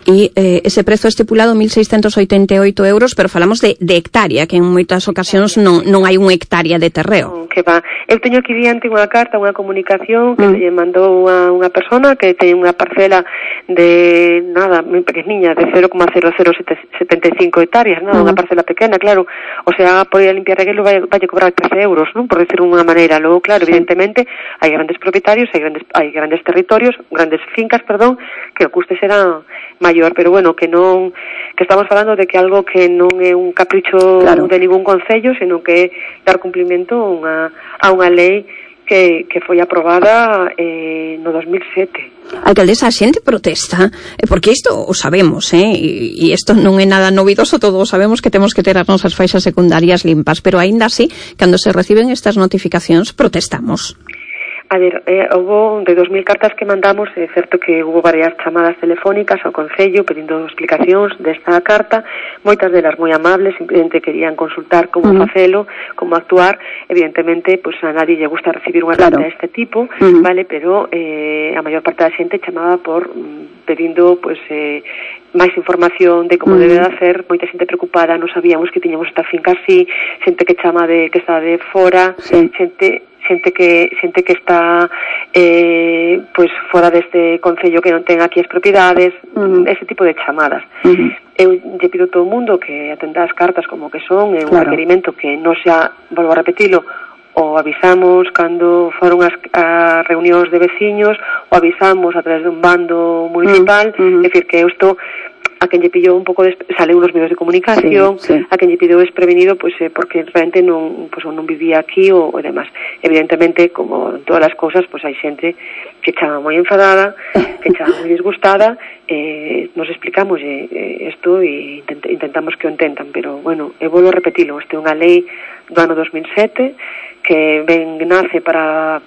E ese prezo estipulado 1.688 euros, pero falamos de hectárea, que en moitas ocasións non hai unha hectárea de terreo. Que va. Eu teño aquí diante unha carta, unha comunicación que lle mandou a unha persona que ten unha parcela de nada, moi pequeniña, de 0,0075 hectáreas, nada, unha parcela pequena, claro. O sea, por ir a limpiar aquilo vai cobrar 13 euros, non? Por decir unha maneira. Logo, claro, evidentemente, hai grandes propietarios, hai grandes territorios, grandes fincas, perdón, que o custe será maior, pero bueno, que estamos falando de que algo que non é un capricho de ningún concello, sino que é dar cumplimento a unha lei que foi aprobada no 2007. Alcaldesa, a xente protesta, porque isto o sabemos, e isto non é nada novidoso, todos sabemos que temos que ter as nosas faixas secundarias limpas, pero aínda así, cando se reciben estas notificacións, protestamos. A ver, houve de 2.000 cartas que mandamos, é certo que houve varias chamadas telefónicas ao Concello pedindo explicacións desta carta, moitas delas moi amables, simplemente querían consultar como facelo, como actuar. Evidentemente, pois a nadie lle gusta recibir unha carta deste tipo, vale, pero a maior parte da xente chamaba por pedindo pois máis información de como debe de hacer, moita xente preocupada, non sabíamos que tiñamos esta finca así, xente que chama de que está de fora, xente que está pois fora deste concello que non ten aquí as propiedades, ese tipo de chamadas. Eu lle pido a todo o mundo que atenda as cartas como que son, é un requerimento que non xa, volvo a repetilo, o avisamos cando foron as reunións de veciños, o avisamos a través de un bando municipal, é dicir que isto a quen lle pillou un pouco sale unos medios de comunicación, a quen lle pillou desprevenido, pois porque realmente non vivía aquí ou demás. Evidentemente, como en todas as cousas, pois hai xente que chama moi enfadada, que chama moi disgustada, nos explicamos isto e intentamos que o entendan, pero bueno, eu volvo a repetilo, isto é unha lei do ano 2007 que nace para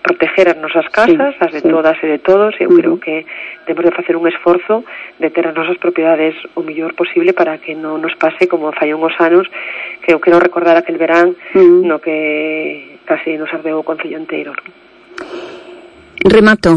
proteger as nosas casas, as de todas e de todos. Eu creo que temos de facer un esforzo de ter as nosas propiedades o mellor posible para que non nos pase como fai uns anos, que eu quero recordar aquel verán no que casi nos ardeu o concello inteiro. Remato,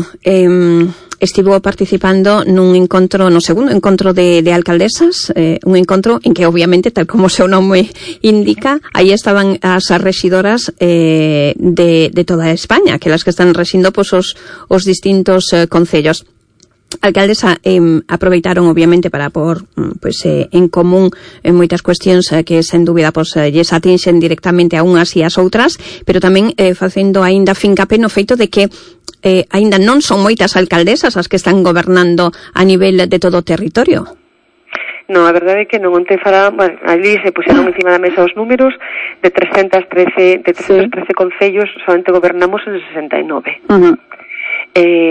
estivo participando nun encontro, no segundo encontro de alcaldesas, un encontro en que obviamente, tal como o seu nome indica, aí estaban as rexidoras de toda España, aquelas que están rexindo pois os distintos concellos. Alcaldesa, aproveitaron obviamente para pôr en común en moitas cuestións que sen dúbida lles atinxen directamente a unhas e as outras, pero tamén facendo aínda fincapé no feito de que aínda non son moitas alcaldesas as que están gobernando a nivel de todo o territorio. Non, a verdade é que non onte ali se puseron encima da mesa os números de 313 concellos, solamente gobernamos en 69.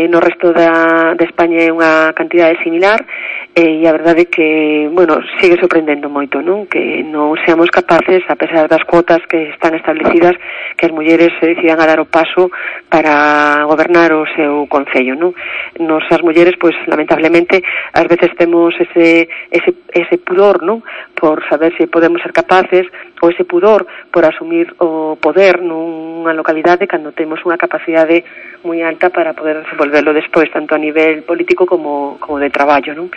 No resto de España é unha cantidade similar, e a verdade é que, bueno, sigue sorprendendo moito, non? Que non seamos capaces, a pesar das cuotas que están establecidas, que as mulleres se decidan a dar o paso para gobernar o seu concello, non? Nos as mulleres, pois, lamentablemente, ás veces temos ese pudor, non? Por saber se podemos ser capaces, ou ese pudor por asumir o poder nunha localidade cando temos unha capacidade moi alta para poder desenvolverlo despois, tanto a nivel político como de traballo, non?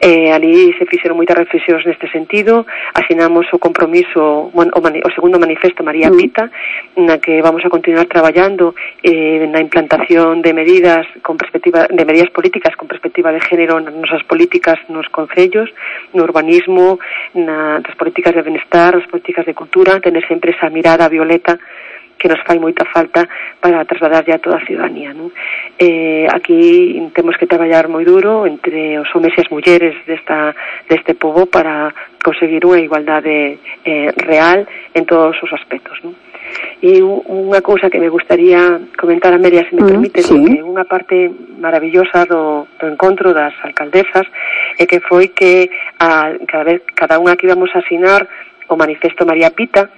Ali se fixeron moitas reflexións neste sentido, asinamos o compromiso, o segundo manifesto María Pita, na que vamos a continuar traballando na implantación de medidas políticas con perspectiva de género nas nosas políticas nos concellos, no urbanismo, nas políticas de benestar, nas políticas de cultura, tener sempre esa mirada violeta que nos fai moita falta para trasladar ya a toda a ciudadanía, non? Aquí temos que traballar moi duro entre os homes e as mulleres deste pobo para conseguir unha igualdade real en todos os aspectos, non? E unha cousa que me gustaría comentar, Amelia, se me permite, que unha parte maravillosa do encontro das alcaldesas é que foi que cada unha que íbamos a asinar o manifesto María Pita,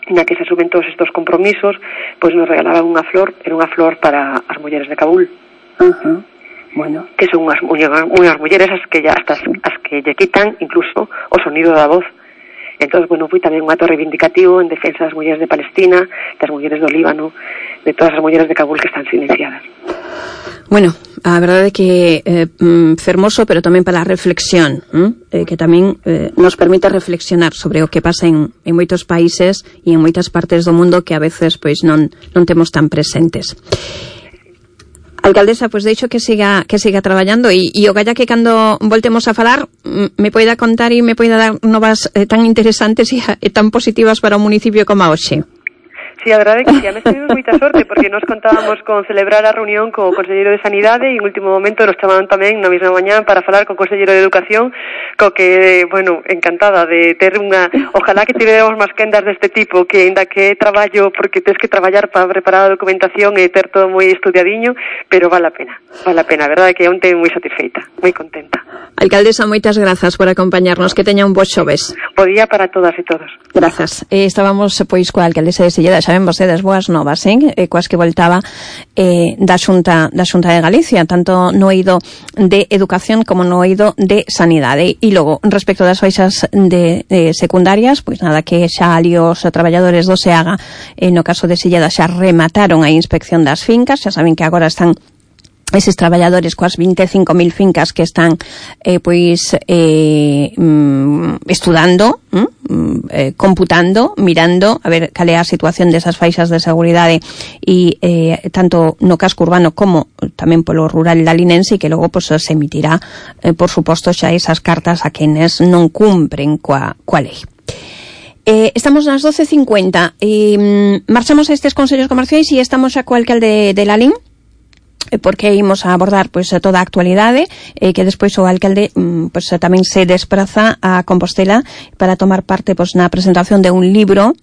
na que se asumen todos estos compromisos, pois nos regalaban unha flor, era unha flor para as mulleres de Cabul. Bueno, que son unhas mulleres as que lle quitan incluso o sonido da voz. Entón, bueno, foi tamén un acto reivindicativo en defensa das mulleres de Palestina, das mulleres do Líbano, todas as mulleres de Cabul que están silenciadas. Bueno, a verdade é que fermoso, pero tamén para a reflexión, que tamén nos permite reflexionar sobre o que pasa en moitos países e en moitas partes do mundo que a veces pois non temos tan presentes. Alcaldesa, pois deixo que siga traballando e o galla que cando voltemos a falar me poida contar e me poida dar novas tan interesantes e tan positivas para o municipio como a hoxe. Sí, a verdade é que xa me temos moita sorte porque nos contábamos con celebrar a reunión co Conselleiro de Sanidade e en último momento nos chamaron tamén na mesma mañá para falar co Conselleiro de Educación, co que, bueno, encantada de ter unha... Ojalá que tivéramos máis quendas deste tipo, que ainda que traballo, porque tens que traballar para preparar a documentación e ter todo moi estudiadiño, pero vale a pena, a verdade é que onte moi satisfeita, moi contenta. Alcaldesa, moitas grazas por acompañarnos, que teña un bo xoves. Bo día para todas e todos. Grazas. Estábamos, pois, coa alcaldesa de Silleda, xa ven vostedes boas novas, coas que voltaba da Xunta de Galicia, tanto no eido de Educación como no eido de Sanidade. E logo, respecto das baixas de secundarias, pois nada, que xa ali os traballadores do SEAGA, no caso de Silleda, xa remataron a inspección das fincas, xa saben que agora están eses traballadores coas 25.000 fincas que están estudando, computando, mirando a ver cal é a situación desas faixas de seguridade e tanto no casco urbano como tamén polo rural lalinense, e que logo se emitirá por suposto xa esas cartas a quenes non cumpren coa lei. Estamos nas 12:50 e marchamos a estes consellos comerciais e estamos xa co alcalde de Lalín, porque imos a abordar pois toda a actualidade, que despois o alcalde pois tamén se despraza a Compostela para tomar parte pois na presentación de un libro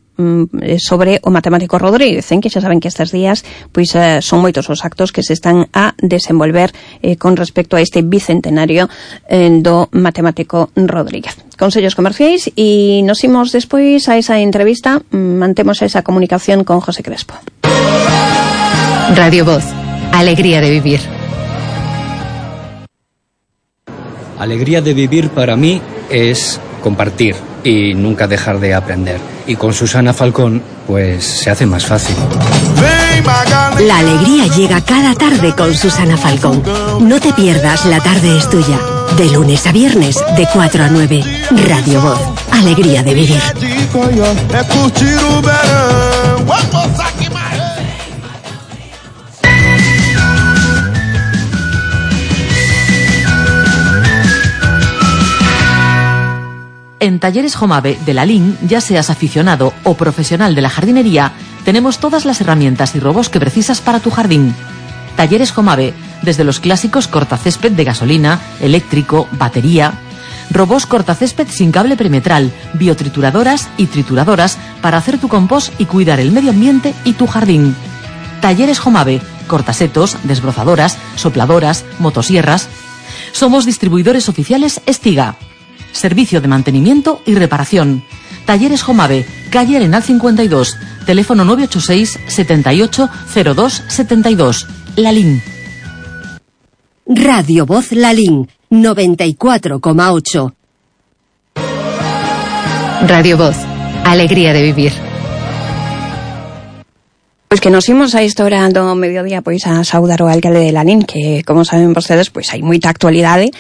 sobre o matemático Rodríguez, que xa saben que estes días pois son moitos os actos que se están a desenvolver con respecto a este bicentenario do matemático Rodríguez. Consellos comerciais e nos imos despois a esa entrevista, mantemos esa comunicación con José Crespo. Radio Voz. Alegría de vivir. Alegría de vivir para mí es compartir y nunca dejar de aprender. Y con Susana Falcón, pues se hace más fácil. La alegría llega cada tarde con Susana Falcón. No te pierdas La tarde es tuya. De lunes a viernes, de 4 a 9. Radio Voz. Alegría de vivir. En Talleres Jomave de Lalín, ya seas aficionado o profesional de la jardinería, tenemos todas las herramientas y robos que precisas para tu jardín. Talleres Jomave, desde los clásicos cortacésped de gasolina, eléctrico, batería, robos cortacésped sin cable perimetral, biotrituradoras y trituradoras para hacer tu compost y cuidar el medio ambiente y tu jardín. Talleres Jomave, cortasetos, desbrozadoras, sopladoras, motosierras. Somos distribuidores oficiales Estiga. Servicio de mantenimiento y reparación. Talleres Jomave, calle Arenal 52, teléfono 986 78 02 72. Lalín. Radio Voz Lalín, 94,8. Radio Voz. Alegría de vivir. Pois que nos imos a esta hora do mediodía pois a saudar o alcalde de Lalín, que como saben vostedes pois hai moita actualidade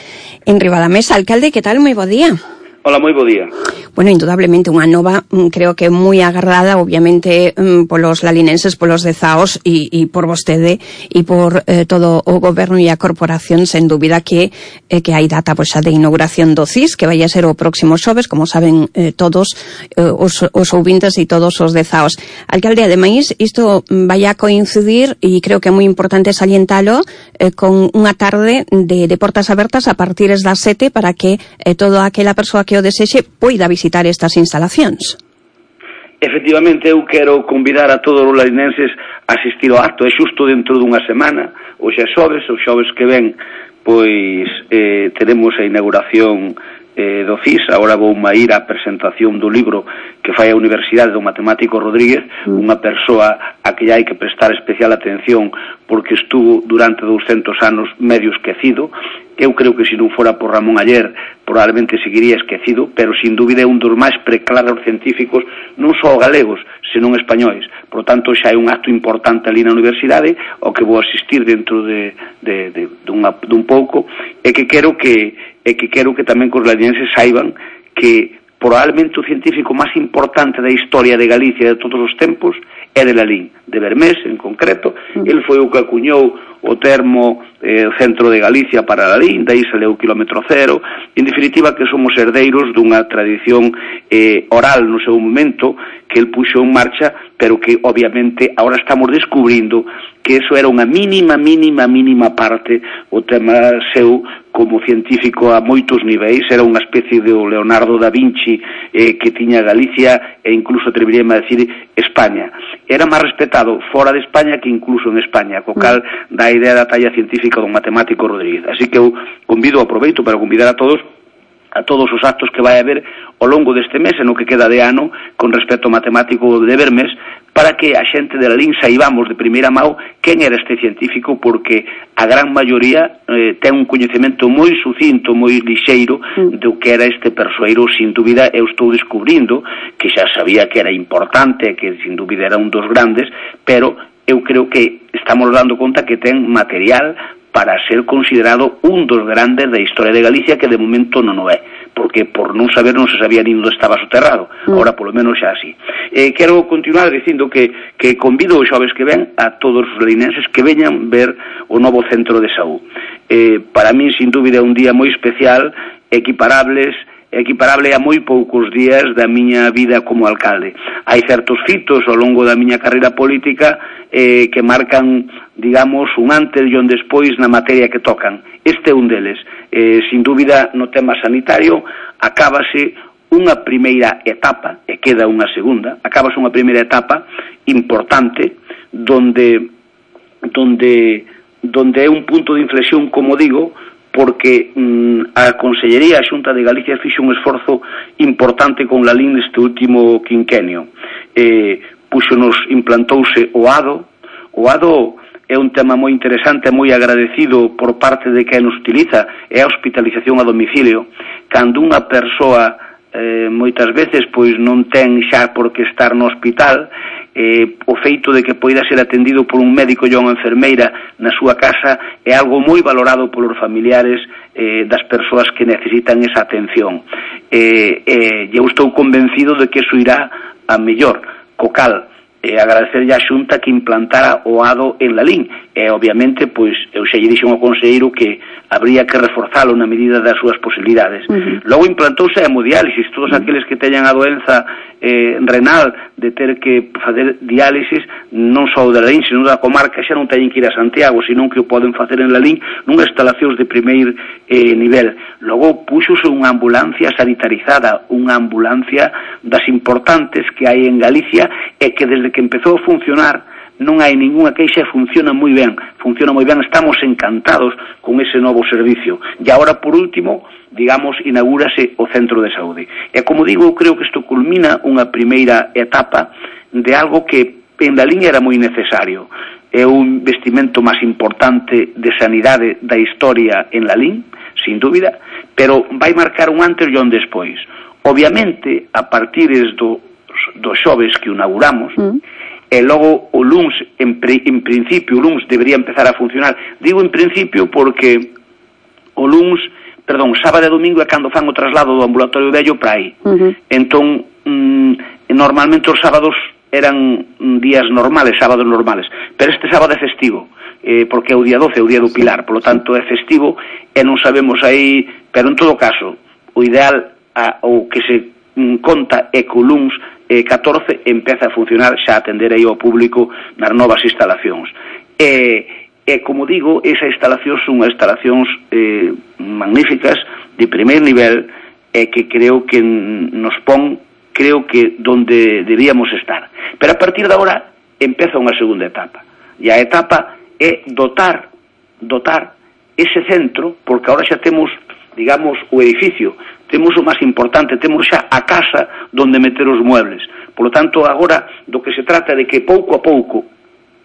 en riba da mesa. Alcalde, que tal? Moi bo día. Hola, moi bo día. Bueno, indudablemente unha nova, creo que moi agardada, obviamente, polos lalinenses, polos dezaos e por vostede e por todo o goberno e a corporación, sen dúbida que hai data pois xa de inauguración do CIS, que vai a ser o próximo xoves, como saben todos os ouvintes e todos os dezaos. Alcalde, ademais, isto vai a coincidir, e creo que é moi importante salientalo, con unha tarde de portas abertas a partir das 7 para que toda aquela persoa que o desexe poida visitar estas instalacións. Efectivamente, eu quero convidar a todos os lalinenses a asistir ao acto. É xusto dentro dunha semana, hoxe é xoves, o xoves que ven, pois teremos a inauguración do CIS. Agora vou ir á presentación do libro que fai a Universidade do Matemático Rodríguez, unha persoa a que hai que prestar especial atención porque estuvo durante 200 anos medio esquecido. Eu creo que se non fora por Ramón Aller probablemente seguiría esquecido, pero sin dúbida é un dos máis preclaros científicos non só galegos, senón españois. Por tanto, xa é un acto importante ali na universidade ao que vou asistir dentro dun pouco, e que quero que tamén os ladienses saiban que probablemente o científico máis importante da historia de Galicia de todos os tempos é de Lalín, de Bermés en concreto. El foi o que acuñou o termo centro de Galicia para Lalín, daí saleu o kilómetro cero. En definitiva, que somos herdeiros dunha tradición oral no seu momento que el puxo en marcha, pero que obviamente ahora estamos descubrindo que eso era unha mínima parte o tema seu como científico a moitos niveis. Era unha especie de Leonardo da Vinci que tiña Galicia e incluso atreveríame a decir España. Era máis respetado fora de España que incluso en España, co cal dá a idea da talla científica do matemático Rodríguez. Así que eu aproveito para convidar a todos os actos que vai haber ao longo deste mes e no que queda de ano con respecto ao matemático de Bermés, para que a xente de Lalín saibamos de primeira mão quen era este científico, porque a gran maioría ten un coñecemento moi sucinto, moi lixeiro do que era este persoeiro. Sin dúbida eu estou descubrindo que xa sabía que era importante, que sin dúbida era un dos grandes, pero eu creo que estamos dando conta que ten material para ser considerado un dos grandes da historia de Galicia, que de momento non o é, porque por non saber non se sabía nin onde estaba soterrado. Ahora polo menos xa así. Quero continuar dicindo que convido os xoves que ven a todos os linenses que veñan ver o novo centro de saúde. Para mí, sin dúbida, é un día moi especial, equiparable a moi poucos días da miña vida como alcalde. Hai certos fitos ao longo da miña carreira política que marcan, digamos, un antes e un despois na materia que tocan. Este é un deles. Sin dúbida, no tema sanitario, acábase unha primeira etapa, e queda unha segunda, acábase unha primeira etapa importante, donde é un punto de inflexión, como digo, porque a Consellería, a Xunta de Galicia, fixo un esforzo importante con Lalín neste último quinquenio. Implantouse o ADO. O ADO é un tema moi interesante, moi agradecido por parte de quen nos utiliza, é a hospitalización a domicilio. Cando unha persoa moitas veces pois non ten xa por que estar no hospital, o feito de que poida ser atendido por un médico e unha enfermeira na súa casa é algo moi valorado polos familiares das persoas que necesitan esa atención. Eu estou convencido de que iso irá a mellor, co cal agradecerlle á Xunta que implantara o ADO en Lalín, e obviamente pois eu xa lle dixen ao conselleiro que habría que reforzalo na medida das súas posibilidades. Logo implantouse a hemodiálisis. Todos aqueles que teñan a doenza renal de ter que facer diálisis non só de Lalín, senón da comarca, xa non teñen que ir a Santiago, senón que o poden facer en Lalín nunhas instalacións de primeiro nivel. Logo puxose unha ambulancia sanitarizada, unha ambulancia das importantes que hai en Galicia, e que desde que empezou a funcionar non hai ninguna queixa, funciona moi ben, estamos encantados con ese novo servicio. E agora, por último, digamos, inaugúrase o centro de saúde. E como digo, eu creo que isto culmina unha primeira etapa de algo que en Lalín era moi necesario. É un investimento máis importante de sanidade da historia en Lalín, sin dúbida, pero vai marcar un antes e un despois. Obviamente, a partir dos xoves que o inauguramos, e logo o luns, en principio, o luns debería empezar a funcionar. Digo en principio porque o luns, sábado e domingo é cando fan o traslado do ambulatorio vello para aí. Entón, normalmente os sábados eran días normales, sábados normales, pero este sábado é festivo, porque é o día 12, é o día do Pilar, polo tanto é festivo e non sabemos aí, pero en todo caso, o ideal, o que se conta é que o luns 14 empeza a funcionar, xa atender aí ao público nas novas instalacións. E como digo, esas instalacións son instalacións magníficas, de primeiro nivel, e que creo que nos pon, creo que donde debíamos estar. Pero a partir de agora empeza unha segunda etapa, e a etapa é dotar ese centro, porque agora xa temos, digamos, o edificio, temos o máis importante, temos xa a casa donde meter os muebles. Por lo tanto, agora do que se trata de que pouco a pouco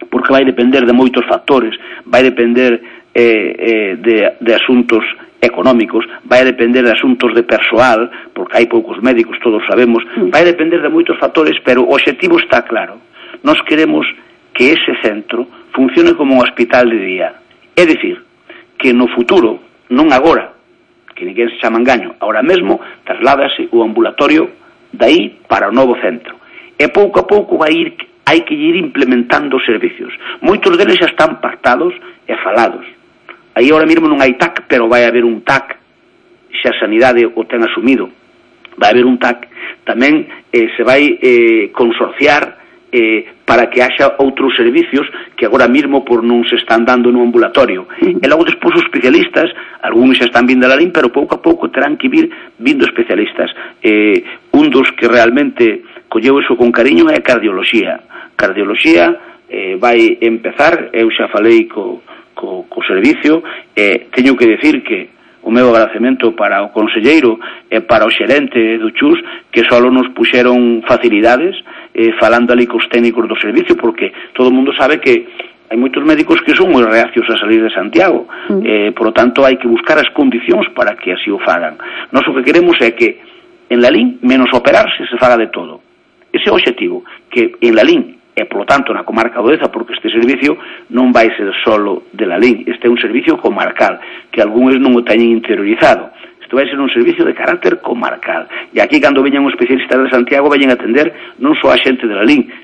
porque vai depender de moitos factores, vai depender de asuntos económicos, vai depender de asuntos de persoal, porque hai poucos médicos, todos sabemos, vai depender de moitos factores, pero o obxectivo está claro. Nós queremos que ese centro funcione como un hospital de día. É dicir, que no futuro, non agora, que ninguén se chama engaño, ahora mesmo trasládase o ambulatorio dai para o novo centro. E pouco a pouco hai que ir implementando os servicios. Moitos deles xa están pactados e falados. Aí ahora mesmo non hai TAC, pero vai haber un TAC, xa a sanidade o ten asumido. Vai haber un TAC. Tamén se vai consorciar para que haxa outros servicios que agora mesmo por non se están dando no ambulatorio. E logo despois os especialistas, algúns xa están vindo a Lalín, pero pouco a pouco terán que vir vindo especialistas. Un dos que realmente colleu eso con cariño é a cardioloxía. Cardioloxía vai empezar, eu xa falei co servicio, teño que decir que o meu agradecemento para o conselleiro e para o xerente do CHUS, que só nos puxeron facilidades falando ali cos técnicos do servicio, porque todo o mundo sabe que hai moitos médicos que son moi reacios a salir de Santiago, por lo tanto hai que buscar as condicións para que así o fagan. Nós o que queremos é que en Lalín, menos operarse, se faga de todo. Ese é o objetivo, que en Lalín e, polo tanto, na comarca do Deza, porque este servicio non vai ser solo de Lalín, este é un servicio comarcal, que algúns non o teñen interiorizado. Isto vai ser un servicio de carácter comarcal. E aquí, cando veñan os especialistas de Santiago, veñen a atender non só a xente de Lalín,